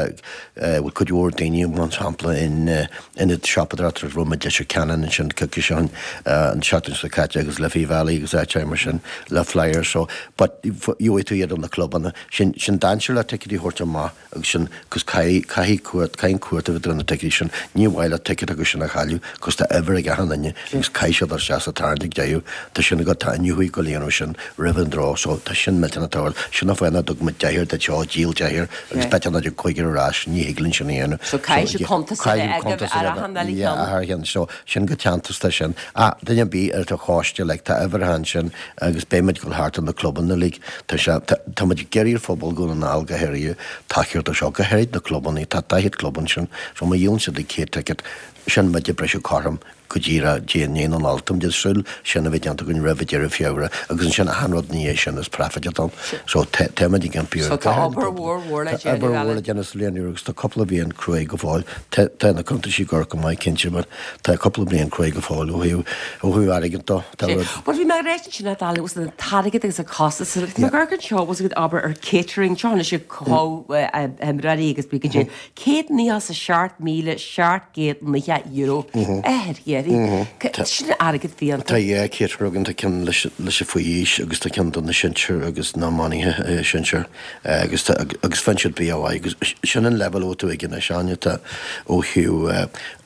bhfuil cuid mhór daoine mar shampla in ionad siopadóireachta raibh muid Leitir Ceanainn ansin coicís ó shin an tseachtain seo caite agus Liffey Valley agus áiteacha mar sin le flyers so but gheobhaidh tú iad ó na clubanna sin sin dainséar le ticéidí a thabhairt amach agus sin cos caithfidh, caithfidh cuart, caithfidh an cuart a bheith ar na ticéidí sin, ní mhaith leat ticéad acu sin a chailleadh cos tá uimhir ag achan duine agus caithfidh siad dul isteach sa tarraingt ag deireadh, tá sin agat, tá iniúchadh go líonadh sin roimh an draw so tá sin millteanach tábhachtach, sin an fáth nach dtug muid deichniúr duit seo, díol deichniúr agus b'fhéidir nach dtig cúigear ar ais, ní thig linn sin a dhéanamh. So caithfidh siad cuntas a bheith agaibh ar achan uile cheann. Yeah, ar cheann, so sin go teanntasach sin. Ah, duine ar bith ar do choiste, like tá uimhreacha ansin agus beidh muid ag dul thart ar na clubanna uilig, Tá sé, tá muid ag iarraidh ar phobal Dhún na nGall go háirithe tacaíocht do seo, go háirid na clubanna, tá 40 club ansin, so má dhíolann siad 100 ticket, sin muid ag briseadh cothrom go díreach dé i ndiaidh na Nollag. Tá muid ag súil sin a bheith déanta againn roimh deireadh Feabhra agus ansin achan rud ina dhiaidh sin is profit atá ann. So tá, tá muid ag impí ar, So tá obair mhór mhór le déanamh, obair mhór le déanamh sa bhliain úr agus tá cúpla bliain cruaidh go fóill. Tá, tá na cuntaisí ag amharc go maith cinnte but tá cúpla bliain cruaidh go fóill ó thaobh, ó thaobh airgid dó. Tá rud. Bhuel bhí mé ag ráit ansin a Alan was an t-airgead agus an costas agus tá mé ag amharc anseo was ag obair ar catering seo anois ag comhimreoirí agus bí go dtí €197,790 ar dheireadh. Sin airgead fiánta. Tá yeah caterer againn tá ceann leis leis an faoi aois agus tá ceann do na sinsir agus na iománaithe sinsir agus tá agus faigheann siad bia mhaith agus sin an leibhéal a bhfuil tú ag anois Áine tá ó thaobh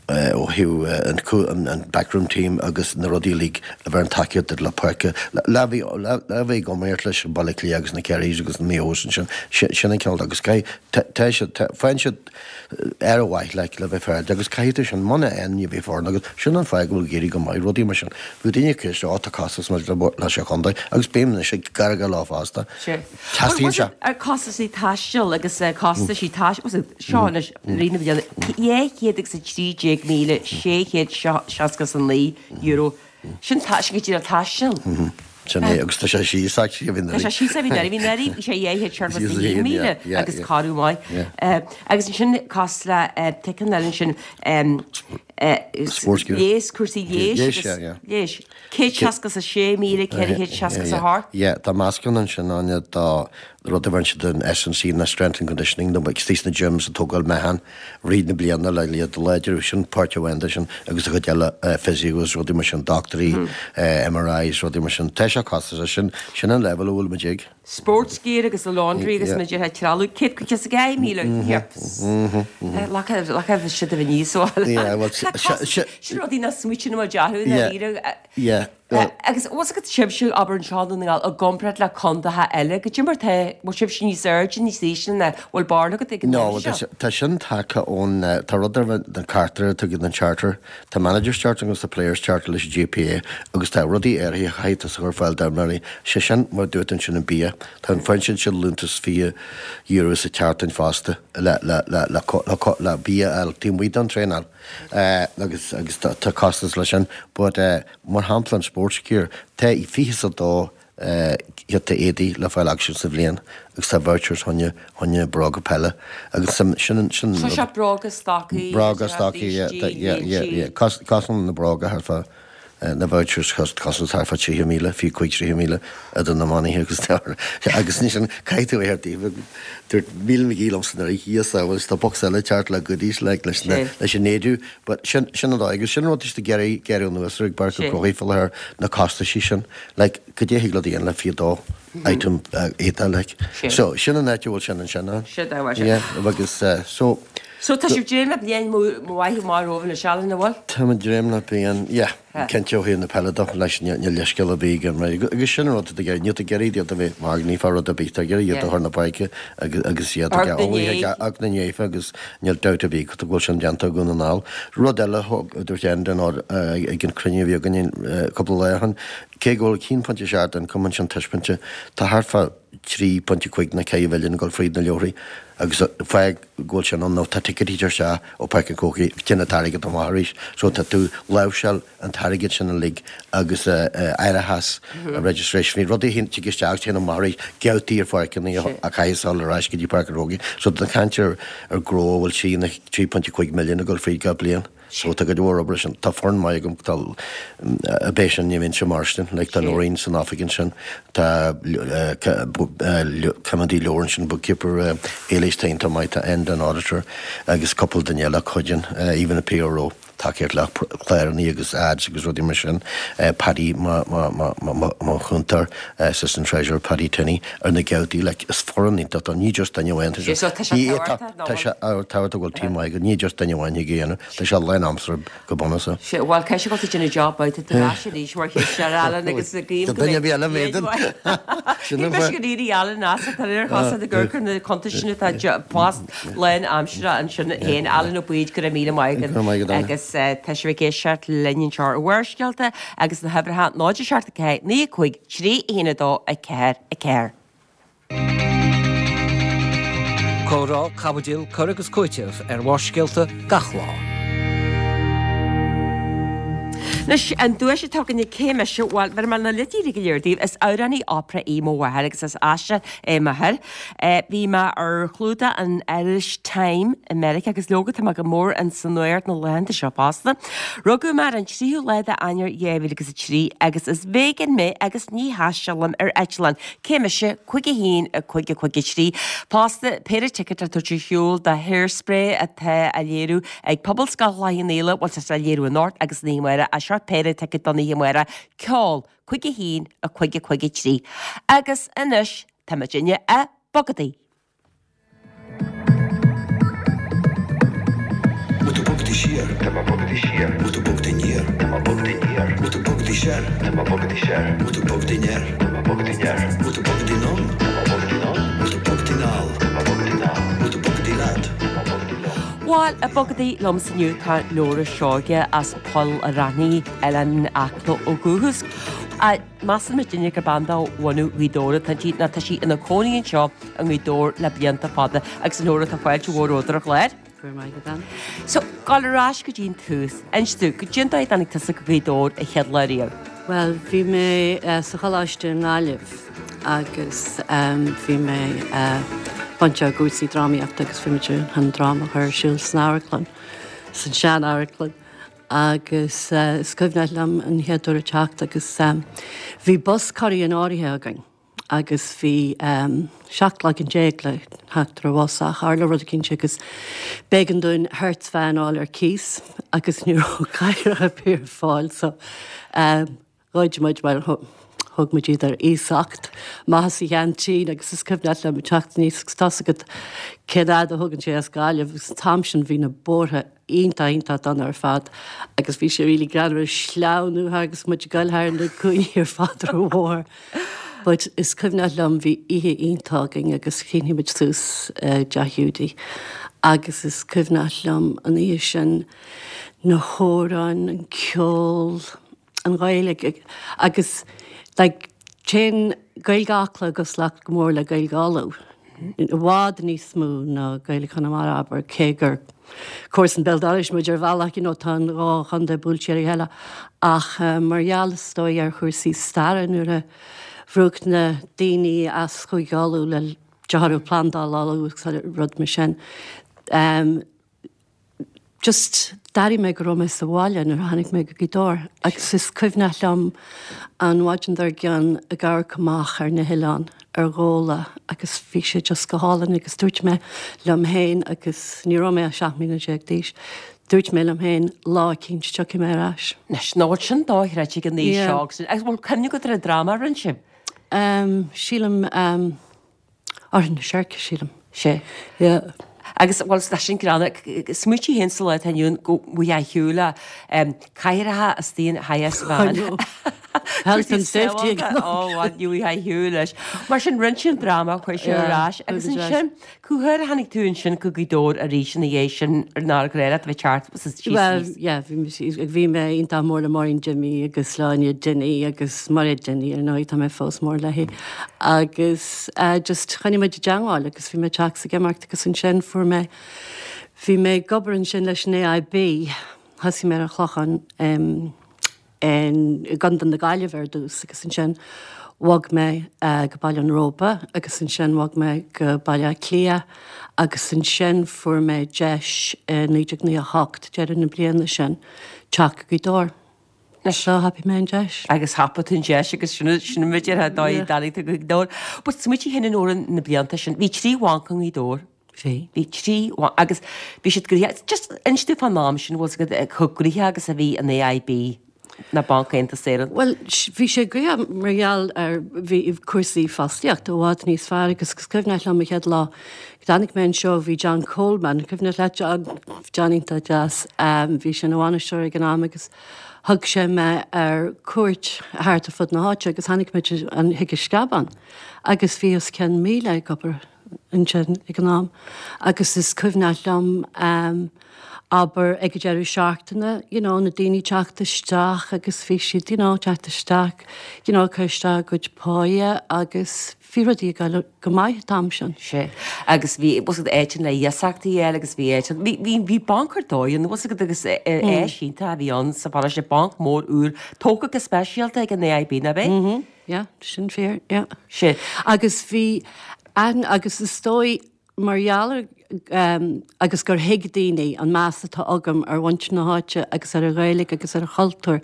ó thaobh an backroom team agus na rudaí uilig a bheireann tacaíocht duit le páirce, le bheith ag iomaíocht leis Baile Átha Cliath agus na Kerrys agus na Maigh Eos ansin, sin an cineál agus caithfidh, tá siad, faigheann siad aire mhaith like le bheith féaráilte agus caithfidh tú sin, muna fhaigheann ní bheidh foireann agat, sin an fáth go bhfuil ag éirí go maith, rudaí mar sin. Bhí daoine ag ceist, ó tá costas maidir le sé chontae agus bím anois ag gearán leo fosta. Teastaíonn sé. Costaisí taistil agus costaisí taistil, seo anois rith na bliana, €213,669. Sin sin go díreach taisteal. Sin é, agus tá sé síos actually a bhí Tá sé síos a bhí anuraidh, bhí anuraidh, bhí sé 271,000 agus corradh maith. Agus ansin costas le ticeann eile ansin, léas, cúrsaí léis agus léis. 166,468. Yeah, tá meascán ansin, Áine, de rud a bheireann siad an S&C ná Strength and Conditioning, nó istigh sna gyms ag tógáil meáchan rith na bliana le iad a láidriú, sin páirt amháin de sin, agus an chuid eile physio agus rudaí mar sin, dochtúirí, MRIs, rudaí mar sin. Tá sé costasach, sin, sin an leibhéal a bhfuil muid ag. Sports gear agus the laundry agus muid ag trealamh, 152,000, yips. Laca, laca siad a bheith níos Yeah, well, Sin rudaí nach smaoitíonn muid orthu i ndáiríre. Yeah. Agus bhfuil fhios agat sibhse ag obair anseo i nDún na nGall i gcomparáid le contaetha eile, goidé mar tá, bhfuil sibhse níos airde, níos ísle ná bhfuil barúil agat ag an No, tá sin tagtha ón, tá rud ar na cartair atá ag an charter, tá Managers Charter agus tá Players Charter leis an GPA agus tá rudaí áirithe a chaithfidh tusa a chur ar fáil d'imreoirí, sé sin mar a dúirt ansin an bia, tá an faigheann siad liúntas €20 sa tseachtain fosta le, le, le, le, le, le bia a fháil taobh amuigh den traenáil. Agus agus tá costas leis sin but mar shampla an. sports gear. Tá 22 giota éadaí le fáil acu sa bhliain agus tá vouchers choinne choinne bróga peile agus sin sin sin So seo bróga stocaí, bróga stocaí yeah yeah yeah yeah Cosann na bróga thart fá na vouchers cosann thart fá 30,000 fiú 35,000 idir na manaithe agus agus ansin caithfidh tú é ar taobh dúirt Míle McGee liomsa nuair a thíos agus tá box eile teacht le goodies like leis na leis an éadú but sin sin an dóigh agus sin rud is ag iarraidh gearradh anuas ar ag Páirc an Chrócaigh faoi láthair na costaisí sin like goidé a thig leat a dhéanamh le 22 item éadaí like so sin an áit a bhfuil sin ansin ann. Sin é sin. Yeah agus so So tá sibh ag dréim le bliain mhaith amach romhaibh anois Alan, an bhfuil? Tá muid ag dréim le bliain, yeah, cinnte ó thaobh na peile de leis níl leithscéal ar bith agam right agus sin an rud atá ag iarraidh, níl tú ag iarraidh iad a bheith magnach fá rud ar bith, tá ag iarraidh iad a chur na páirce agus agus iad ag ag na néife agus níl dabht ar bith go bhfuil sin déanta i nDún na nGall. Rud eile a dúirt Enda ag an cruinniú a bhí againn cúpla lá ó shin, Cé go bhfuil 1.7 den cumann sin taispeáinte, tá thart fá 3.5 nó 4 mhilliún ag dul fríd na leabharthaí agus fág go bhfuil sin ann nó tá ticéidí isteach ó Páirc an Chrócaigh, téann an t-airgead amach arís. So tá tú láimhseáil an t-airgead sin uilig agus árachas, registration fee, rudaí a thig isteach agus téann amach arís, geabhtaí ar pháirceanna a chaithfeas dul ar ais go dtí Páirc an Chrócaigh. So tá caint ar gnó a bhfuil 3.5 milliún ag dul fríd gach bliain. So tá cuid mhór obair sin. Tá foireann maith agam, tá ab é sin ní bheinnse mar sin, like tá Noreen san oifig ansin, tá coimeádaí leabhar ansin, bookkeeper, Éilís tá iontach maith, tá Enda an auditor agus cúpla duine eile a chuidíonn, even a PRO, tacaíocht le cláranna agus ads agus rudaí mar sin, Paddy mo chúntóir, assistant treasurer Paddy Tinney ar na geabhtaí, like is foireann iontach, ní just duine amháin, tá sé tá sé tábhachtach go bhfuil team maith agat, ní just duine amháin thig a dhéanamh. Tá sé lán-aimseartha go bunúsach. Sea, bhuel, caithfidh sé go bhfuil tú ag déanamh job maith, tá tú ar ais arís mar chisteoir, Alan, agus guím go mbeidh. Duine ar bith eile m'éadan. Sin an fáth. Ní go n-éirí Alan as, tá ar chosa ag amharc ar na cuntais sin atá post lán-aimseartha ansin féin. Alan Ó Baoid, go raibh míle maith agat. Go raibh maith agat, Áine. Agus tá sibh ag éisteacht linn anseo ar Bharrscéalta agus na huimhreacha 0 7 4 9 5 3 1 2 4 4. Comhrá, caibidil, cur agus cúiteamh ar Bharrscéalta gach lá. Anois, an duais atá againne, cé mise? Bhuel, bheir mé na leidí go léir daoibh. Is amhránaí opera í mo mháthair agus is aisteoir é m'athair. Bhí mé ar chlúdach an Irish Time i Meiriceá agus leoga tá mé go mór ins an nuacht na laethanta seo fosta. Rugadh mé ar an 3ú lá de Eanáir 2003 agus is vegan mé agus ní thaistealaim ar eitleán. Cé mise? 5 1 5 5 3. Fosta, péire ticéad le tabhairt ar shiúl do Hairspray atá á léiriú ag Pobalscoil Chloich Cheann Fhaola, bhuel tá sé á léiriú anocht agus an oíche amárach, ach seo péire ticéad don oíche amárach, Ceol, 5 1 5 5 3. Agus anois tá muidinne ag bogadaí. Bhfuil tú bogadaí siar? Tá mé bogadaí siar. Bhfuil tú bogadaí aniar? Tá mé bogadaí aniar. Bhfuil tú bogadaí soir? Tá mé bogadaí soir. Bhfuil tú bogadaí anoir? Tá mé bogadaí anoir. Bhfuil tú bogadaí anonn? Tá mé bogadaí anonn. Bhfuil tú bogadaí anall? Tá mé bogadaí anall. Bhfuil tú bogadaí leat? Tá mé bogadaí liom. Bhuel, ag bogadaí liomsa inniu tá Nóra Seoige as Poll a' Raithní, Oileán Acla ó dhúchas. Measann muidinne gur bean de bhunadh Ghaoth Dobhair atá inti nó tá sí ina cónaí anseo i nGaoth Dobhair le blianta fada agus a Nóra tá fáilte mhór romhat ar an chlár. Go raibh maith agat Ann. So, gabháil ar ais go dtí an tús. Inis domh, goidé an dóigh a dtáinig tusa go Gaoth Dobhair an chéad lá riamh? Bhuel, bhí mé sa choláiste i nGaillimh agus bhí mé bainteach i gcúrsaí drámaíochta agus bhí muid chun dráma a chur ar siúl san amharclann, san sean-amharclann. Agus is cuimhneach liom an chéad uair a teacht agus bhí bus curtha in áirithe againn agus bhí 17 lá le theacht ar an bhus ach tharla rud eicínt agus b'éigean dúinn Hertz van a fháil ar cíos agus ní raibh cathaoireacha ar bith ar fáil so Ghoid muid, bhuel, thug muid iad ar iasacht amach as an cheaintín agus is cuimhneach liom teacht aníos agus tá's agat cén fhad a thugann sé as Gaillimh agus an t-am sin bhí na bóithre iontach, iontach dona ar fad agus bhí sé really greannmhar ag sleamhnú agus muid ag goil thar na cúinní ar fad ar an bhóthar. But is cuimhneach liom bhí oíche iontach againn agus shínigh muid suas i dteach Hiúdaí agus is cuimhneach liom an oíche sin na hamhráin, an ceol, an Ghaeilge agus like téann Gaeilge Acla i gcosúlacht go mór le Gaeilge Uladh. I bhfad níos mó ná Gaeilge Chonamara, abair, cé gur comharsan béal dorais muid ar bhealach, you know, tá an dhá chontae buailte ar a chéile. Ach mar gheall, is dóigh, ar chúrsaí staire, nuair a bhrúdh na daoine as Chúige Uladh le de thoradh Plandáil Uladh agus rud mar sin, Just d'airigh mé go raibh mé sa bhaile nuair a tháinig mé go Gaoth Dobhair agus is cuimhneach liom an mhaidin dár gcionn ag amharc amach ar na hoileáin ar Ghabhla agus bhí sé just go hálainn agus dúirt mé liom féin agus ní raibh mé ach 17 mbliana d'aois, dúirt mé liom féin lá eicínt tiocfaidh mé ar ais. Anois, nach bhfuil sin dochreidte ag an aois seo agus an bhfuil cuimhne agat ar an dráma a rinne sibh? Sílim. Árthach na Seirce, sílim. Sea. Yeah. Agus, bhuel, tá sin greannmhar. Smaoitigh féin sa lá atá inniu ann go bhfuil a shiúl a cathaoireacha istigh in high-vis van. I know. Health and safety ag an am. Ó, bhuel, ní bhfuil a shiúl leis. Mar sin, rinne sé an dráma, chuir sé ar ais. Agus ansin, cá huair a tháinig tú ansin go Gaoth Dobhair arís ina dhiaidh sin ar nár ghnáth leat a bheith teacht síos Bhuel, yeah, bhí mé, bhí mé iontach mór le Máirín Jimmy agus Sláine Dinny agus Mairéad Dinny, ar ndóigh, tá mé fós mór léi. Agus just choinnigh muid i dteangmháil agus bhí mé ag teacht is ag imeacht agus ansin fuair mé, bhí mé ag obair ansin leis an AIB, thosaigh mé ar an Chlochán i gContae na Gaillimhe ar dtús agus ansin bhog mé go Baile an Róba agus ansin bhog mé go Baile Átha Cliath agus ansin fuair mé deis i 1998, deireadh na bliana sin, teacht go Gaoth Dobhair. So thapaigh mé an deis. Agus thapaigh tú an deis agus sin sin muid ar dóigh a dtáinig tú go Gaoth Dobhair. But smaoitigh féin Nóra na blianta sin, bhí trí bhanc i nGaoth Dobhair. Bhí. Bhí trí bhanc agus bhí siad gnoitheach, just inis dúinn fán am sin, bhfuil 's agat chomh gnoitheach agus a bhí an AIB ná Banc Aontas Éireann. Bhuel, bhí sé gnoitheach mar gheall ar, bhí cúrsaí fostaíochta i bhfad níos fearr agus is cuimhneach liom an chéad lá go dtáinig mé anseo bhí John Coleman, cuimhneach leat John, John iontach deas, bhí sé ina bhainisteoir ag an am agus thug sé mé ar cuairt thart ar fud na háite agus tháinig muid chuig an Sceabán agus bhí os cionn 1,000 ag obair ansin ag an am agus is cuimhneach liom abair ag an deireadh seachtaine you know na daoine teacht isteach agus bhí siad you know teacht isteach you know cur isteach a gcuid páighe agus bhí rudaí ag dul go maith an t-am sin. Sea. Agus bhí, bhfuil 's agat áiteanna le iasachtaí a fháil agus bhí áiteanna, bhí, bhí, bhí banc ar dóigh ann, bhfuil 's agat agus áis iontach a bhí ann sa pharóiste, banc mór úr, tógtha go speisialta ag an AIB, nach ea? Mm-hmm. Yeah, sin fíor, yeah. Sea. Agus bhí aithne, agus is dóigh mar gheall ar, agus gur thuig daoine an meas atá agam ar mhuintir na háite agus ar an Ghaeilge agus ar an chultúr,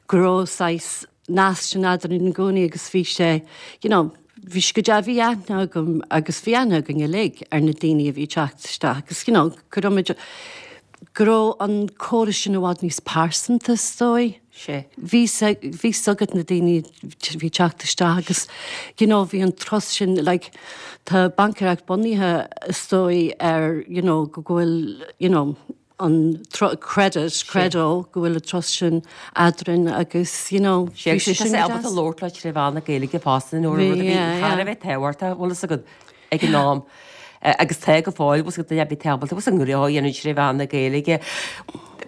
go raibh saghas nasc sin eadrainn i gcónaí agus bhí sé, you know, bhí sé go deas, bhí aithne agam agus bhí aithne againn uilig ar na daoine a bhí ag teacht isteach agus, you know, go raibh muid, go raibh an córas sin i bhfad níos pearsanta is dóigh. Sea. Bhí bhí 's agat na daoine a bhí ag teacht isteach agus, you know, bhí an trust sin, like, tá baincéireacht bunaithe is dóigh ar, you know, go bhfuil, you know, an credit, credo, go bhfuil an trust sin eadrainn agus, you know, bhí sé sin go deas. ábalta labhairt leo tré mheán na Gaeilge fosta nó rud a bhí thar a bheith tábhachtach, bhfuil fhios agat, ag an am. Agus tá go fóill, bhfuil fhios agat, duine ar bith ábalta, bhfuil fhios agat, an gnó a dhéanamh tré mheán na Gaeilge.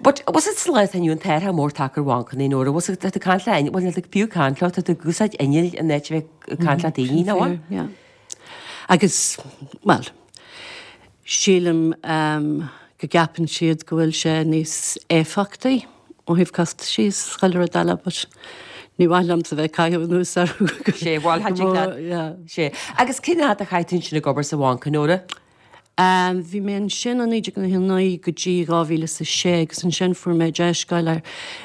But bhfuil fhios agat sa lá atá inniu ann tá athrú mór tagtha ar bhancanna Nóra, bhfuil fhios agat, tá tú ag caint le inneall, bhuel níl tú fiú ag caint leo, tá tú ag úsáid innill in áit a bheith ag caint le daoine, nach bhfuil? Yeah. Agus, bhuel, sílim go gceapann siad go bhfuil sé níos éifeachtaí ó thaobh costaisí is chuile rud eile but ní mhaith liomsa bheith ag caitheamh anuas orthu go Sé, bhuel, tha tig leat. Yeah. Sé. Agus cén fhad a chaith tú ansin ag obair sa bhanc, a Nóra? Bhí mé ansin ó 1999 go dtí 2006 agus ansin fuair mé deis goil ar,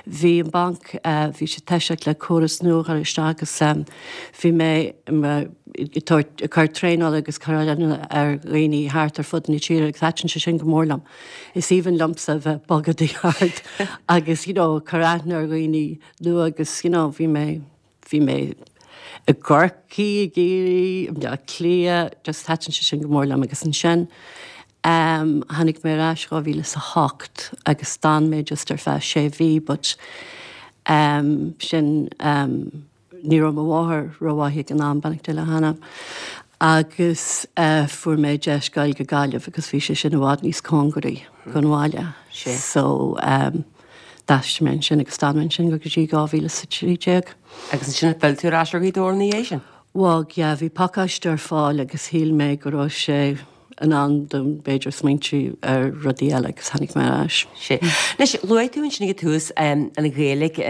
bhí an banc, bhí siad toiseacht le córas nua a chur isteach agus bhí mé ag tabhairt, ag cur traenála agus cur oiliúna ar dhaoine thart ar fud na tíre agus thaitin sé sin go mór liom. Is aoibhinn liomsa bheith ag bogadh thart agus you know cur aithne ar dhaoine nua agus you know bhí mé, Bhí mé i gCorcaigh, i gCiarraí, i mBaile Átha Cliath, just thaitin sé sin go mór liom agus ansin ehm tháinig mé ar ais 2008 agus d'fhan mé just ar feadh sé mhí but ehm sin ehm ní raibh mo mháthair rómhaith ag an am, beannacht Dé lena hanam, agus eh fuair mé deis goil go Gaillimh agus bhí sé sin i bhfad níos cóngaraí don bhaile so ehm D'aistrigh mé ansin agus d'fhan mé ansin go dtí 2013. Agus ansin ar phill tú ar ais ar Ghaoth Dobhair ina dhiaidh sin? Bhog, yeah, bhí pacáiste ar fáil agus shíl mé go raibh sé in am dom b'fhéidir smaointiú ar rudaí eile agus tháinig mé ar ais. Sea. Anois, luaigh tú ansin ag an tús an Ghaeilge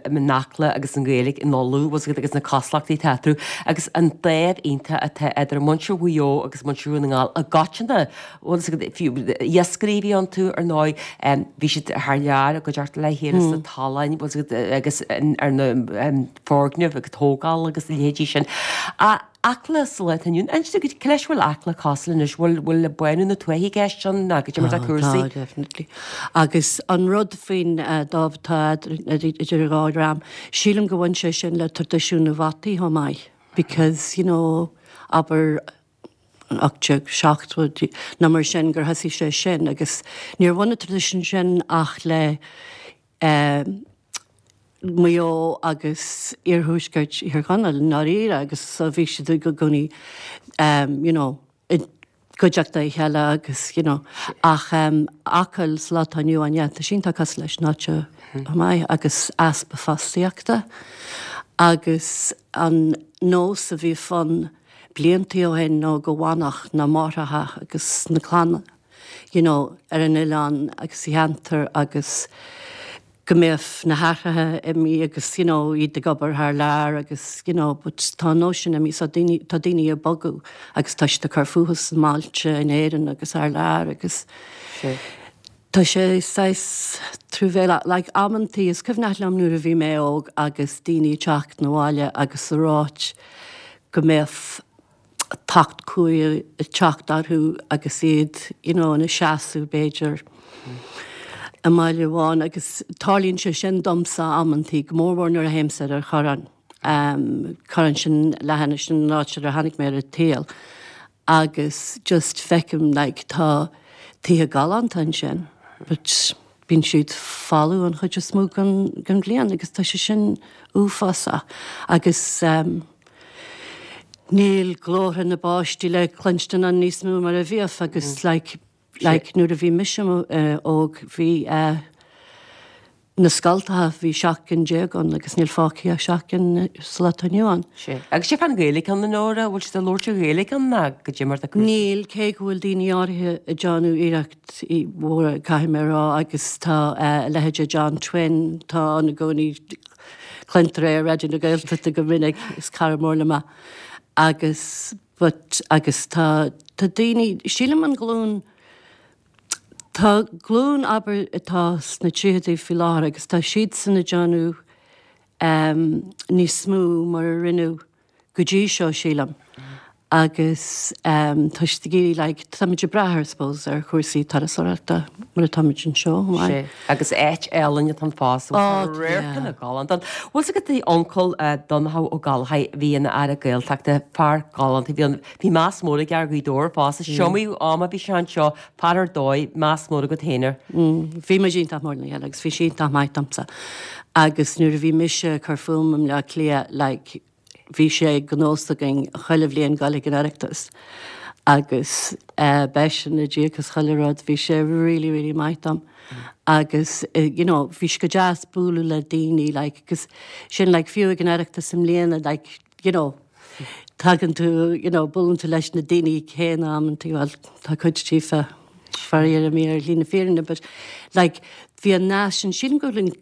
in Acla agus an Ghaeilge in Uladh, bhfuil a fhios agat, agus na cosúlachtaí atá eatarthu agus an dáimh iontach atá idir muintir Mhaigh Eo agus muintir Dhún na nGall i gcoitinne, bhfuil a fhios agat, fiú iascairí a bhí iontu, ar ndóigh, bhí siad thar lear i gcuideachta le chéile sna tolláin, bhfuil a fhios agat, agus ar na foirgnimh agus tógáil agus a leithéidí sin. Acla sa lá atá inniu ann. Inis dúinn, cad leis a bhfuil Acla cosúil anois? Bhfuil, bhfuil bánú na tuaithe i gceist ann nó goidé mar atá cúrsaí? Tá, definitely. Agus an rud faoin dáimh atá idir an dhá dhream, sílim go bhain sé sin le traidisiún na bhfataí chomh maith because, you know, abair, 1870 nó mar sin gur thosaigh sé sin agus níor bhain an traidisiún sin ach le Maigh Eo agus iarthuaisceart Thír Chonaill i ndáiríre agus so bhí siad i gcónaí you know i gcuideachta a chéile agus you know ach Acaill sa lá atá inniu ann yeah tá sí iontach cosúil leis an áit seo chomh maith agus easpa fostaíochta agus an nós a bhí ann bliantaí ó shin nó go bhfanfadh na máithreacha agus na clanna you know, ar an oileán agus sa cheantar agus go mbeadh na haithreacha imithe agus you know, iad ag obair thar lear agus you know, but tá an nós sin imithe so daoine, tá daoine ag bogadh agus tá siad ag cur fúthu sna mbailte in Éirinn agus thar lear agus tá sé saghas truamhéalach, like amantaí is cuimhneach liom nuair a bhí mé óg agus daoine ag teacht 'na bhaile agus ag ráit go mbeadh tocht cumha ag teacht orthu agus iad you know ina seasamh b'fhéidir i mbaile amháin agus tarlaíonn sé sin domsa amantaí, go mórmhór nuair a théimse ar an Chorrán, Corrán sin leathinis an áit ar a tháinig mé ar an tsaol agus just feicim like tá tithe galánta ansin but bíonn siad folamh an chuid is mó den bhliain agus tá sé sin uafásach agus Níl glórtha na bpáistí le cluinstin ann níos mó mar a bhíodh agus like like nuair a bhí mise óg bhí eh na scoltacha bhí 17 cinn ann agus níl fágtha ach 7 gcinn sa lá atá inniu ann. Sea. Agus goidé fán Ghaeilge ann a Nóra, bhfuil siad ag labhairt an Ghaeilge ann ná goidé mar atá cúrsaí? Níl, cé go bhfuil daoine áirithe ag déanamh iarrachtaí mhóra caithfidh mé a rá agus tá eh a leithéid de John Twin tá ann i gcónaí Cluintear é ar Raidió na Gaeltachta go minic, is cara mór liom é. Agus, but, agus tá, tá daoine, sílim an ghlúin, tá glúin, abair, atá sna tríochaidí faoi láthair agus tá siadsan ag déanamh níos mó mar a rinneadh go dtí seo, sílim. Agus tá siad ag iarraidh, like, táimid ag brath, I suppose, ar chúrsaí turasóireachta mar atáimid anseo chomh maith. Sea, agus áit álainn atá ann fosta, bhfuil tá radharcanna galánta ann. Bhfuil 's agat d'uncail Donnchadh Ó Gallchóir, a bhí ina Aire Gaeltachta, fear galánta, bhí an, bhí meas mór aige ar Ghaoth Dobhair fosta, is iomaí am a bhí sé anseo, fear ar dóigh, meas mór agat féin air. Bhí muid iontach mór lena chéile agus bhí sé iontach maith domsa. Agus nuair a bhí mise ag cur fúm i mBleá Cliath, like, bhí sé de nós againn chuile bhliain goil ag an Oireachtas agus b'eisean a d'íoc as chuile rud, bhí sé really really maith dom agus you know bhí sé go deas bualadh le daoine like agus sin like fiú ag an Oireachtas i mbliana like you know tagann tú you know buaileann tú leis na daoine céanna amantaí bhuel tá cuid díofa faraor imithe ar shlí na fírinne but like bhí an nasc sin sílim go bhfuil an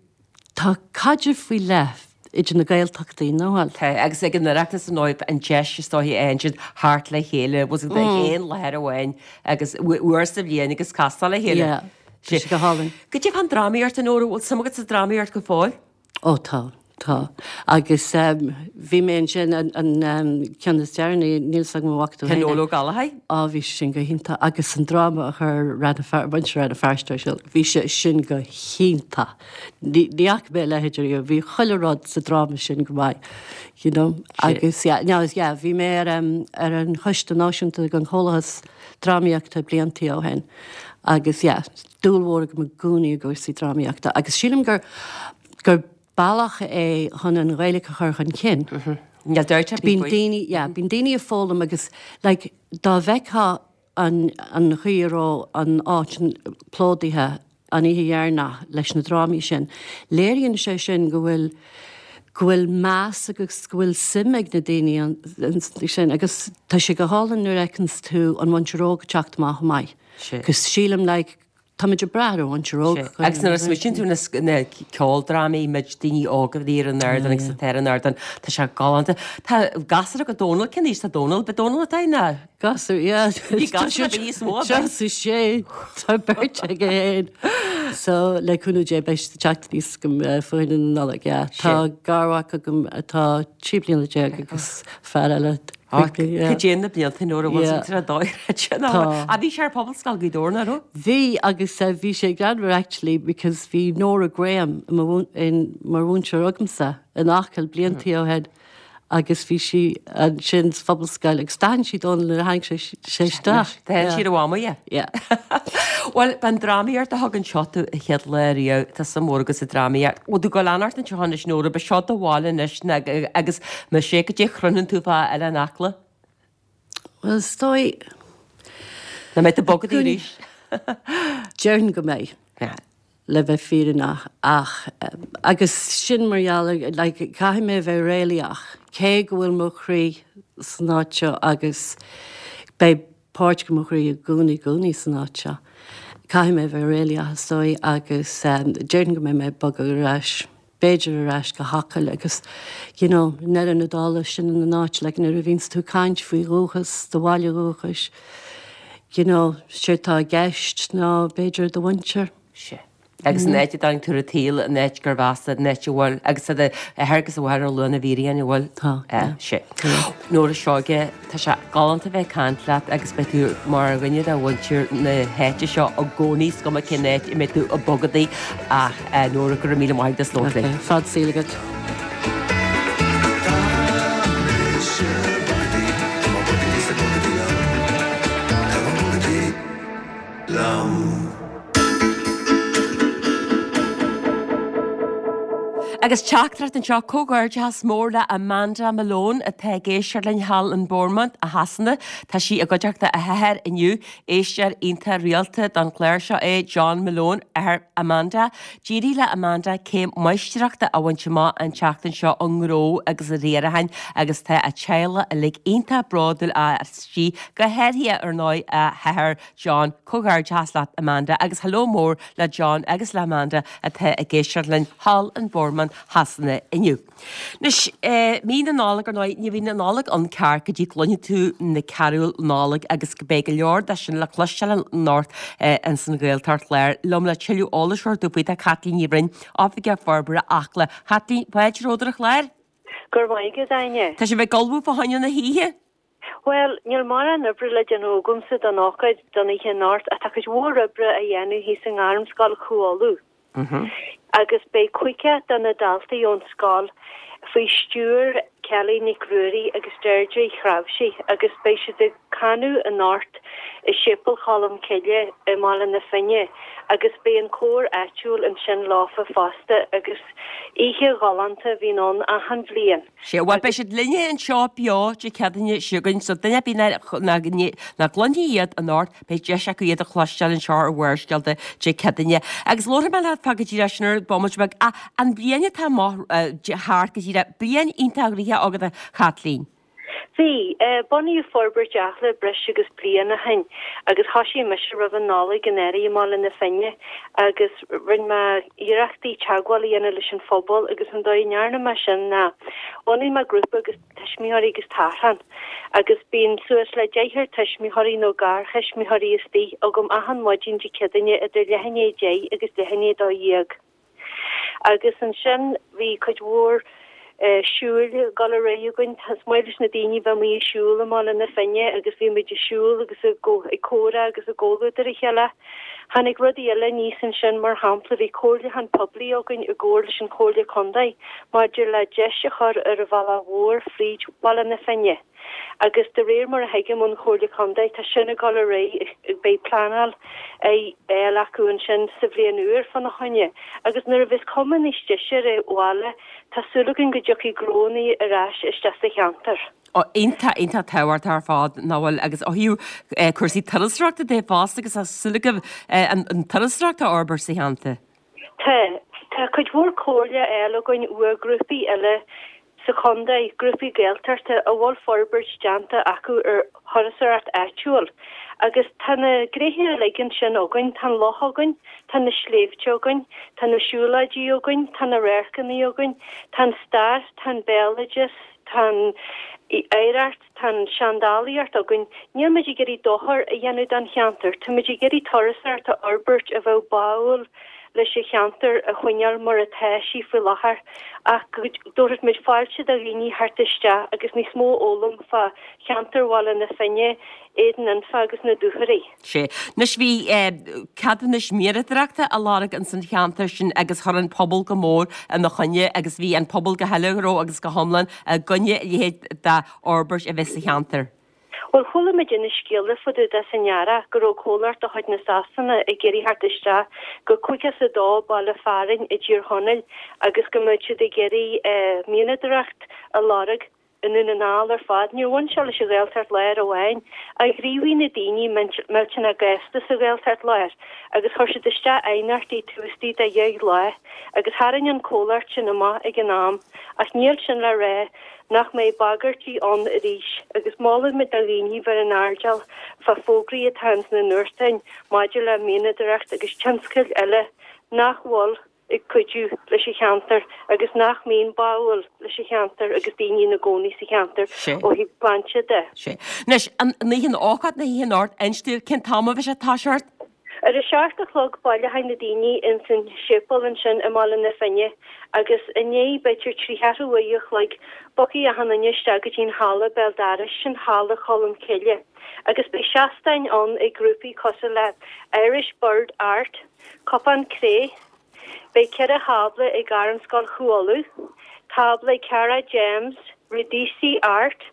Tá caidreamh faoi leith idir na Gaeltachtaí, nach bhfuil? Tá, agus ag an Oireachtas ar ndóigh, an deis is dóichí a fhaigheann siad theacht le chéile, bhfuil 's agat ag aon láthair amháin agus uair sa bhliain agus castáil le chéile. Yeah, tá sé go hálainn. Goidé fán drámaíocht, a Nóra, bhfuil suim agat sa drámaíocht go fóill? Ó tá, tá. Agus bhí mé ansin an ceann is deireanaí, níl 's agam an bhfaca tú féin é. Noel Ó Gallchóir? Á bhí sé sin go hiontach agus an dráma a chuir Rann na Feirste, muintir Rann na Feirste ar siúl, bhí sé sin go hiontach. Ní fhaca mé a leithéid ariamh, bhí chuile rud sa dráma sin go maith, you know. Agus yeah, no, yeah, bhí mé ar ar an choiste náisiúnta den Chomhlathas Drámaíochta bliantaí ó shin agus yeah, dúil mhór agam i gcónaí i gcúrsaí drámaíochta agus sílim gur gur bealach é chun an Ghaeilge a chur chun cinn. Níl dabht ar bith faoi. Bíonn daoine, yeah, bíonn daoine ag foghlaim agus like dá bhfeicfeá an an chaoi a raibh an áit plódaithe an oíche dheireanach leis na drámaí sin, léiríonn sé sin go bhfuil. Go bhfuil meas agus go bhfuil suim ag na daoine ansin agus tá sé go hálainn nuair a fheiceanns tú an mhuintir óg ag teacht amach chomh maith. Cos sílim like táimid ag brath ar an mhuintir óg. Agus nuair a smaoitíonn tú na ceoldrámaí, muid daoine óga a bhí ar an ardán agus atá ar an ardán, tá sé galánta. Tá gasúr agat Dónal, cén aois tá Dónal? B'é Dónal atá ina. Gasúr, yeah. Bhí gasúr a bhí níos mó aige. Seo sé, tá beirt aige féin. So, le cúnamh Dé beidh siad ag teacht aníos agam fá choinne na Nollag, yeah. Tá garmhac agam atá 13 bliana agus fear eile. Cad é na blianta nuair a bhfuil siad tar dóigh sin. Tá. A bhí sé ar Pobalscoil Ghaoth Dobhair, nach raibh? Bhí agus bhí sé greannmhar actually because bhí Nora Graham mar mhúinteoir agamsa in Acaill bliantaí ó shin. agus bhí sí ansin sa Phobalscoil agus d'aithin sí Dónal nuair a tháinig sé isteach. D'aithin sí ar a mhamaí é. Yeah. Bhuel, b'an drámaíocht a thug anseo tú an chéad lá riamh, tá suim mhór agat sa drámaíocht. Bhfuil tú ag dul a fhanacht anseo anois Nóra, b'é seo do bhaile anois agus más ea goidé a chroitheann tú fá Oileán Acla? Bhuel, is dóigh. Nach mbeidh tú ag bogadh arís? Déarfainn go mbeidh. le bheith fírinneach ach, agus sin mar gheall ar, like, caithfidh mé a bheith réalaíoch, cé go bhfuil mo chroí san áit seo agus beidh páirt de mo chroí i gcónaí, i gcónaí san áit seo, caithfidh mé a bheith réalaíoch is dóigh agus déarfainn go mbeidh mé ag bogadh ar ais, b'fhéidir ar ais go hAcaill agus, you know, i ndeireadh na dála, sin an áit, like, nuair a bhíonns tú ag caint faoi dhúchas, do bhaile dhúchais, you know, séard tá i gceist ná b'fhéidir do mhuintir. Sea. Agus an áit a dtáinig tú ar an tsaol, an áit gurb as, an áit a bhfuil, agus tá d'athair agus do mháthair ar luath na bhfíréan, an bhfuil? Tá, yeah. Sea. Nóra Seoige, tá sé galánta a bheith ag caint leat agus beidh tú mar dhuine de mhuintir na háite seo i gcónaí, is cuma cén áit a mbeidh tú ag bogadaí ach Nóra, go raibh míle maith agat as labhairt linn. Ok, fad saoil agat. Tá mise bogadaí, tá mé bogadaí sa bogadaí liom. Tá mé bogadaí liom. Agus teachtaireacht anseo, Comhghairdeachas mór le Amanda Malone atá ag éisteacht linn thall in Bournemouth i Shasana. Tá sí i gcuideachta a hathar inniu. Éisteoir iontach rialta don chlár seo é John Malone, athair Amanda. D'éirigh le Amanda céim máistreachta a bhaint amach an tseachtain seo i ngnó agus i riarachán agus tá a teaghlach uilig iontach bródúil aisti, go háirithe ar ndóigh a hathair John, Comhghairdeachas leat Amanda agus hello mór le John agus le Amanda atá ag éisteacht linn thall in Bournemouth Shasana inniu. Anois, mí na Nollag ar ndóigh, ní bhíonn an Nollaig ann ceart go dtí go gcluineann tú na carúil Nollag agus beidh go leor de sin le cloisteáil anocht ins an Ghaeltacht Láir. Liom le tuilleadh eolais a thabhairt faoi tá Caitlín Ní Bhroin, Oifigeach Forbartha Acla. Chaitlín, fáilte romhat ar an chlár. Go raibh maith agat, Áine. Tá sibh ag ullmhú fá choinne na hoíche? Bhuel, níl mórán oibre le déanamh agamsa don ócáid don oíche anocht ach tá cuid mhór oibre á dhéanamh thíos i nGairmscoil Chú Uladh. Agus beidh cúigear de na daltaí ón scoil faoi stiúir Kelly Nic Ruairí agus Deirdre Uí Chnáimhsí agus beidh siad ag canadh anocht i Séipéal Cholm Cille i mBaile na Finne agus beidh an cór áitiúil ansin leofa fosta agus oíche ghalánta a bhíonn ann achan bhliain. Sea, bhuel, beidh siad linne anseo beo Dé Céadaoine seo chugainn, so duine ar bith nach gcluinfidh iad anocht, beidh deis acu iad a chloisteáil anseo ar Bharrscéalta Dé Céadaoine. Agus labharfaidh mé leat fá go díreach sin ar bomaite beag, ach an bhliain atá amach thart go díreach, bliain iontach gnoitheach agat a Chaitlín. Bhí. Bunaíodh Forbairt Acla breis agus bliain ó shin agus thoisigh mise roimh an Nollaig anuraidh i mBaile na Finne agus rinne mé iarrachtaí teagmháil a dhéanamh leis an phobal agus an dóigh a ndearna mé sin ná bhunaigh mé grúpa agus tuismitheoirí agus tarrthán agus bíonn suas le deichniúr tuismitheoirí nó garthuismitheoirí istigh agam achan maidin Dé Céadaoine idir leath i ndiaidh a 10 agus leath i ndiaidh 12. Agus ansin bhí cuid mhór siúil ag dul ar aghaidh againn. Is maith leis na daoine bheith amuigh ag siúl i mBaile na Finne agus bhí muid ag siúl agus ag comhrá agus i gcomhluadar a chéile. Tháinig rudaí eile aníos ansin, mar shampla bhí comhairliúchán poiblí againn i gcomhar leis an Chomhairle Contae maidir le deis a chur ar an bhealach mhór fríd Bhaile na Finne. Agus de réir mar a thuigim ón Chomhairle Contae, tá sin ag dul ar aghaidh, beidh pleanáil á fháil acu ansin sa bhliain úr fána choinne. Agus nuair a bheas cuma níos deise ar an bhaile, tá súil againn go dtiocfaidh gnónnaí ar ais isteach sa cheantar. Ó, iontach, iontach tábhachtach ar fad, nach bhfuil? Agus ó thaobh cúrsaí turasóireachta de fosta, agus tá súil agaibh an turasóireacht a fhorbairt sa cheantar. Tá. Tá cuid mhór comhairle á fháil againn uaidh grúpaí eile sa chontae, grúpaí Gaeltachta a bhfuil forbairt déanta acu ar thurasóireacht áitiúil. Agus tá na gnéithe uilig ansin againn, tá an loch againn, tá na sléibhte againn, tá na siúlóidí againn, tá na radharcanna againn, tá an stair, tá an béaloideas, tá an oidhreacht, tá an seandálaíocht againn. Níl muid ag iarraidh dochar a dhéanamh don cheantar, tá muid ag iarraidh turasóireacht a fhorbairt a bheadh báúil leis an cheantar a choinneáil mar atá sí faoi láthair ach go dtabharfadh muid fáilte do dhaoine theacht isteach agus níos mó a fhoghlaim fá cheantar Bhaile na Finne, Éadan Anfa agus na Dúchoraidh. Sea. Anois bhí ceadúnais mianadóireachta á lorg ins an cheantar sin agus chuir an pobal go mór ina choinne agus bhí an pobal go huile go agus go hiomlán i gcoinne a leithéid d'fhorbairt a bheith sa cheantar. Bhuel, chuala muid na scéalta fá dtaobh de san earrach go raibh comhlacht de chuid na Sasana ag iarraidh theacht isteach go 52 baile fearainn i dTír Chonaill agus go mbeadh siad ag iarraidh mianadóireacht a lorg i nDún na nGall ar fad. Níor bhain sé leis an Ghaeltacht Láir amháin, ach ghníomhaigh na daoine millteanach gasta sa Ghaeltacht Láir agus chuir siad isteach aighneachtaí taobh istigh de dheich lá agus tharraing an comhlacht sin amach ag an am ach níl sin le rá nach mbeidh bagairtí ann arís agus molaimid do dhaoine bheith ar an airdeall fá fógraí atá ins na nuachtáin maidir le mianadóireacht agus tionscail eile nach bhfuil ag cuidiú leis an cheantar agus nach mbíonn báúil leis an cheantar agus daoine ina gcónaí sa cheantar ó thaobh sláinte de. Sea. Anois, an oíche an ócáid na hoíche anocht, inis dúinn cén t-am a bheidh sé ag toiseacht? Ar a seacht a chlog baileoidh na daoine ins an séipéal ansin i mBaile na Finne agus i ndiaidh b'fhéidir trí cheathrú uair a chloig bogfaidh achan duine isteach go dtí an halla béal dorais, sin Halla Cholm Cille agus beidh seastáin ann ag grúpaí cosúil le Irish Bird Art, Cupán Cré, Beidh 4 thábla ag Gairmscoil Chú Uladh, tábla ag Cara James, Rudisi Art,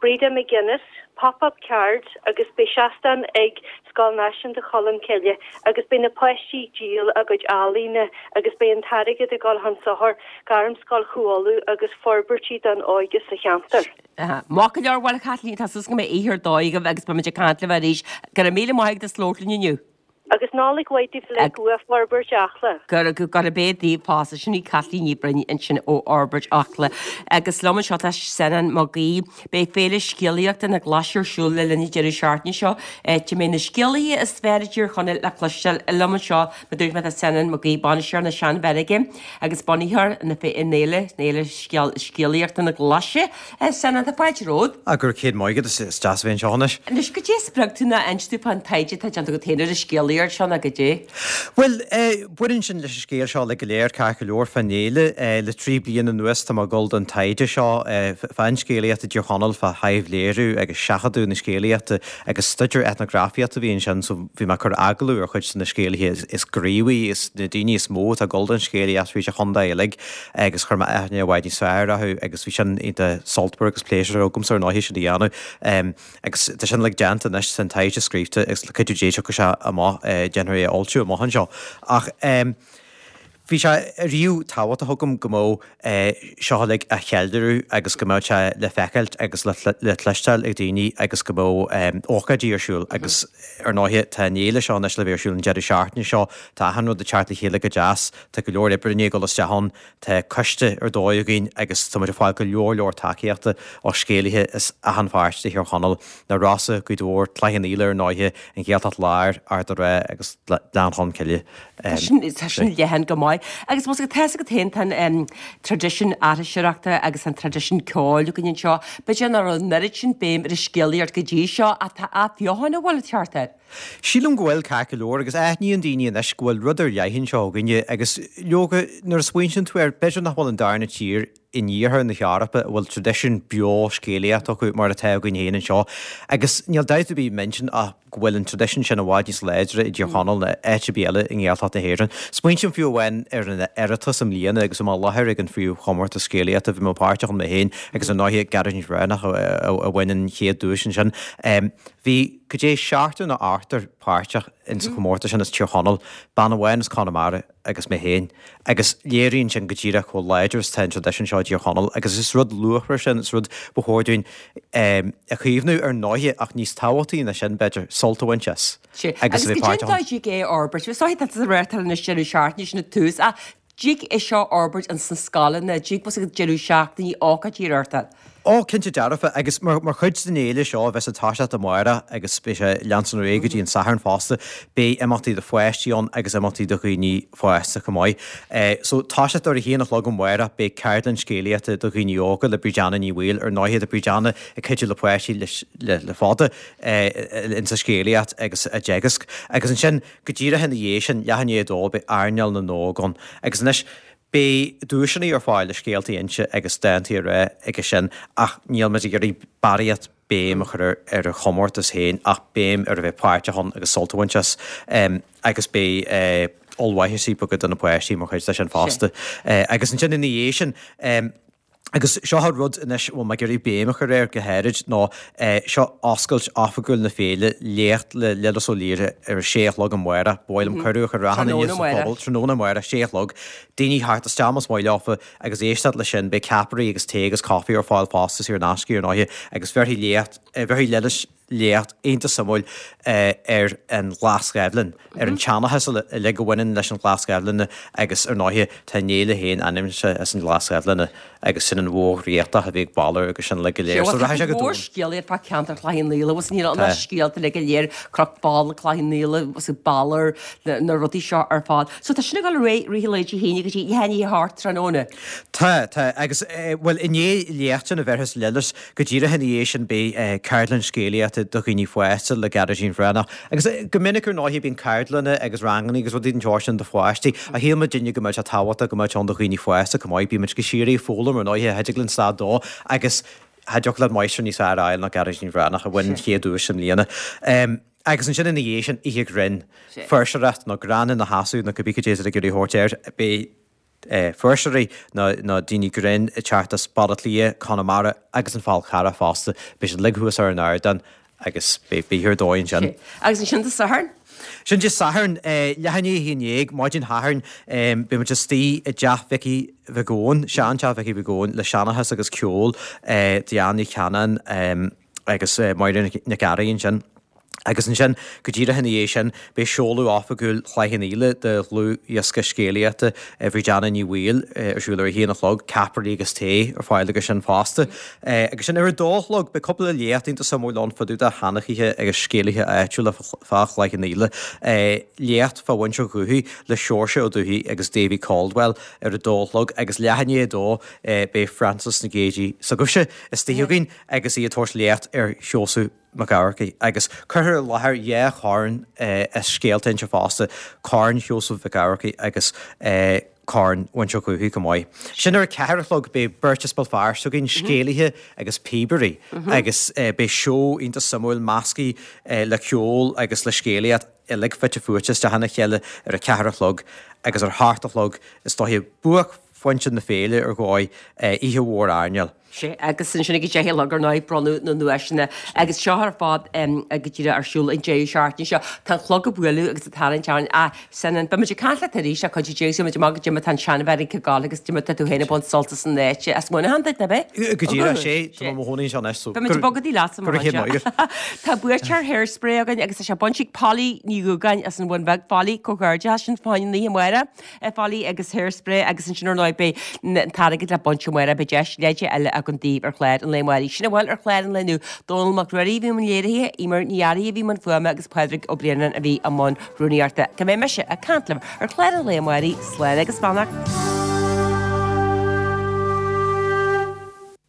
Breda McGuinness, Pop Up Cards agus beidh seastán ag Scoil Náisiúnta Cholm Cille agus beidh na páistí ag díol a gcuid ealaíne agus beidh an t-airgead ag dul chun sochair Gairmscoil Chú Uladh agus forbairtí don óige sa cheantar. Maith go leor, bhuel a Chaitlín, tá súil go mbeidh oíche ar dóigh agaibh agus beimid ag caint libh arís. Go raibh míle maith agat as labhairt linn inniu. Agus Nollaig mhaith daoibh uilig ó Fhorbairt Acla. Gurab é daoibh fosta. Sin í Caitlín Ní Bhroin ansin ó Fhorbairt Acla. Agus liom anseo tá Senan Mag Aoidh. Beidh Féile Scéalaíochta na Glaise ar siúl le linn an deireadh seachtaine seo, áit a mbeidh na scéalaithe is fearr i dTír Chonaill le cloisteáil. Liom anseo, mar a dúirt mé, tá Senan Mag Aoidh, bainisteoir na Seanmheirge agus bunaitheoir na féile, Féile Scéalaíochta na Glaise. Senan, tá fáilte romhat. Ah, go raibh céad maith agat, is deas a bheith anseo anois. Anois, goidé a spreag tú nó inis dúinn fán taighde atá déanta agat féin ar an scéalaíocht seo nó goidé? Bhuel, eh, baineann sin leis an scéal seo uilig go léir, ceart go leor, fán fhéile. Eh, le trí bliana anuas tá mé ag dul don taighde seo, eh, fán scéalaíocht i dTír Chonaill, fá thaibhléiriú agus seachadadh na scéalaíochta agus staidéar eitneagrafaíochta a bhí ansin so bhí mé ag cur agallamh ar chuid de na scéalaithe is gníomhaí, is na daoine is mó atá ag dul don scéalaíocht fríd an chontae uilig. agus chuir mé aithne i bhfad níos fearr orthu agus bhí sin iontach sultmhar agus pléisiúrtha agamsa ar ndóigh sin a dhéanamh. Agus tá sin uilig déanta anois, tá an taighde scríobhta agus le cuidiú Dé tiocfaidh sé amach, déanfar é a fhoilsiú amach anseo. Ach bhí sé riamh tábhachtach agam go mbeadh seo uilig á cheiliúradh agus go mbeadh sé le feiceáilt agus le cloisteáil ag daoine agus go mbeadh ócáidí ar siúl agus ar ndóighe tá an fhéile seo anois le bheith ar siúl an deireadh seachtaine seo, tá achan rud ag teacht le chéile go deas. Tá go leor oibre i ndiaidh dul isteach ann, tá coiste ar dóigh againn agus tá muid ag fáil go leor leor tacaíochta ó scéalaithe as achan pháirt de Thír Chonaill, na Rosa, Gaoth Dobhair, Cloich Cheann Fhaola ar ndóighe, an Ghaeltacht Láir, Ard an Rátha agus Gleann Cholm Cille. Tá sin leathan go maith. Agus más tá 'fhios agat féin tá an traidisiún aithriseoireachta agus an traidisiún ceoil againn anseo. B'fhéidir nach raibh an oiread sin béim ar an scéalaíocht go dtí seo ach tá athbheochan an bhfuil ag teacht air. Sílim go bhfuil, ceart go leor, agus aithníonn daoine anois go bhfuil rud ar leith anseo againne agus leoga, nuair a smaointíonn tú air, b'fhéidir nach bhfuil an darna tír in iarthar na hEorpa a bhfuil traidisiún beo scéalaíochta acu mar atá againn féin anseo. Agus níl dabht ar bith i m'intinn ach go bhfuil an traidisiún sin i bhfad níos láidre i dTír Chonaill ná áit ar bith eile i nGaeltacht na hÉireann. Smaointím fiú amháin ar an Oireachtas i mbliana agus bhí mé i láthair ag an phríomhchomórtas scéalaíochta, bhí mé páirteach ann mé féin agus ar ndóighe Gearóidín Bhreathnach a bhain an chéad duais ansin. Bhí go dtí seachtar nó ochtar páirteach ins an chomórtas sin as Tír Chonaill, bean amháin as Conamara agus mé féin. Agus léiríonn sin go díreach chomh láidir is atá an traidisiún seo i dTír Chonaill agus is rud luachmhar sin, is rud ba chóir dúinn a chaomhnú ar ndóighe ach níos tábhachtaí ná sin b'fhéidir, sult a bhaint as agus a bheith páirteach ann. Agus goidé an dóigh a fhorbairt? Is dóigh tá tú ag reáchtáil anois deireadh seachtaine sin ag tús ach. Dtig é seo a fhorbairt ins na scoileanna, dtig bhfuil a fhios agat deireadh seachtainí, ócáidí a reáchtáil. Ó, cinnte dearfa, agus mar chuid den fhéile seo a bheas ag toiseacht amárach agus beidh sé ag leanstan ar aghaidh go dtí an Satharn fosta, beidh imeachtaí do pháistí ann agus imeachtaí do dhaoine fásta chomh maith. So, toiseacht ar a haon a chlog amárach, beidh ceardlann scéalaíochta do dhaoine óga le Brídanna Ní Bhaoill. Ar ndóighe, tá Brídanna ag cuidiú le páistí le fada insa scéalaíocht agus á dteagasc. Agus ansin, go díreach ina dhiaidh sin, leath i ndiaidh a dó, beidh Airneál na nÓg ann. Agus anois, Beidh duaiseanna ar fáil le scéaltaí a inse agus dántaí a rá aige sin ach níl muid ag iarraidh barraíocht béim a chur ar an chomórtas féin ach béim ar a bheith páirteach ann agus sult a bhaint as. Agus beidh ollmhaitheasaí beaga do na páistí mar chuid de sin fosta. Agus ansin ina dhiaidh sin, Agus seo an rud anois a bhfuil mé ag iarraidh béim a chur air go háirid ná seo oscailt oifigiúil na féile, léacht le Lillis Ó Laoire ar a sé a chlog amárach. Ba mhaith liom cuireadh a chur ar achan duine sa phobal, tráthnóna amárach, sé a chlog, daoine theacht isteach más maith leofa agus éisteacht leis sin. Beidh ceapairí agus tae agus caife ar fáil fosta saor in aisce ar ndóighe agus bhéarfaidh léacht, bhéarfaidh Lillis léacht iontach suimiúil ar an Ghlas Ghaibhleann, ar an tseanchas uilig a bhaineann leis an Ghlas Ghaibhleanna agus ar ndóighe tá an fhéile féin ainmnithe as an Ghlas Ghaibhleanna agus sin an bhó dhraíochtach a bhí ag Balor agus sin uilig go léir. So rachaidh sé go domhain. Scéalaíocht fá ceantar Chloich Cheann Fhaola, agus níl ann ach scéalta uilig go léir, Cnoc Fola, Cloich Cheann Fhaola, agus Balor, na rudaí seo ar fad. So tá sin ag dul ar aghaidh i rith an lae Dé hAoine go dtí leath i ndiaidh a hocht tráthnóna. Tá, tá, agus bhuel i ndiaidh léacht sin a bhéarfas Lillis, Go díreach ina dhiaidh sin beidh ceardlann scéalaíochta do dhaoine fásta le Gearóidín Bhreathnach. Agus go minic ar ndóighe bíonn ceardlanna agus ranganna agus rudaí den tsórt sin do pháistí ach shíl muidinne go mbeadh sé tábhachtach go mbeadh ann do dhaoine fásta chomh maith. Bíonn muid go síoraí ag foghlaim ar ndóighe, cha dtig linn stad dó agus cha dtiocfadh leat máistir níos fearr a fháil ná Gearóidín Bhreathnach a bhain an chéad duais i mbliana. Agus ansin ina dhiaidh sin, oíche ghrinn, fuirseoireacht nó greann ina sheasamh nó cibé cad é atá ag iarraidh a thabhairt air, beidh fuirseoirí nó daoine grinn ag teacht as Baile Átha Cliath, Conamara agus an Fál Carrach fosta. Beidh siad uilig thuas ar an ardán agus beidh oíche ar dóigh ansin. Agus ansin Dé Sathairn? Sin Dé Sathairn, leath i ndiaidh 11, maidin Shathairn, beidh muid istigh i dteach Mhicí Mhic Eoin, seanteach Mhicí Mhic Eoin, le seanchas agus ceol Diane Ní Chanainn agus Máire Nic Fhearraigh ansin. Agus ansin, go díreach ina dhiaidh sin, beidh seoladh oifigiúil Chloich Cheann Fhaola de dhlúthdhiosca scéalaíochta Bhrídanna Ní Bhaoill ar siúl ar a haon a chlog, ceapairí agus tae ar fáil aige sin fosta. Agus sin ar a dó a chlog, beidh cúpla léacht iontach suimiúil ann fá dtaobh de sheanchaithe agus scéalaithe áitiúla fá Chloich Cheann Fhaola. Léacht fá mhuintir Dhubhthaigh le Seoirse Ó Dubhthaigh agus Davy Caldwell ar a dó a chlog agus leath i ndiaidh a dó beidh Frances Nic Géadaigh s'agaibhse istigh againn agus í ag tabhairt léacht ar Sheosamh Mac Eamharcaigh, agus cuirfear i láthair dhá chorn as Scéalta Inse fosta, Corn Sheosaimh Mhic Eamharcaigh agus Corn Mhuintir Dhubhthaigh chomh maith. Sin ar a ceathair a chlog, beidh beirt as Béal Feirste againn, scéalaithe agus píobairí, agus beidh seó iontach suimiúil measctha le ceol agus le scéalaíocht uilig fite fuaite isteach ina chéile ar a ceathair a chlog, agus ar a hocht a chlog is dóiche buaicphointe na féile ar dhóigh, oíche mhór airneáil. Sea, agus ansin ag a deich a chlog ar ndóigh, bronnadh na nduaiseanna agus seo ar fad go díreach ar siúl an deireadh seachtaine seo. Tá an clog ag bualadh agus ag tarraingt orainn. Ah, Senan, beidh muid ag caint leat arís ach cuid de, muid amach go dtí má tá an seanfhear ag gabháil agus dtí má tá tú féin ag baint sult as an áit as Muineachán duit, ab é? Go díreach, sea, tá mé i mo chónaí anseo anois, so Beidh muid ag bogadh leat sa go raibh chéad maith agat. Tá buaiteoir Hairspray againn agus tá sé bainte ag Polly Ní Dhúgáin as an Bhun Bheag. Polly, comhghairdeachas sin fá choinne an oíche amárach. Pholly agus Hairspray agus ansin ar ndóigh beidh an t-airgead le baint amárach beidh deis leide eile againn daoibh ar chlár an lae amárach. Sin a bhfuil ar chlár an lae inniu. Dónall Mac Ruairí a bhí i mbun léirithe, Eimear Ní Fhearraigh a bhí i mbun fuaime agus Pádraig Ó Braonáin a bhí i mbun rúnaíochta. Go mbeidh mise ag caint libh ar chlár an lae amárach, slán agus beannacht.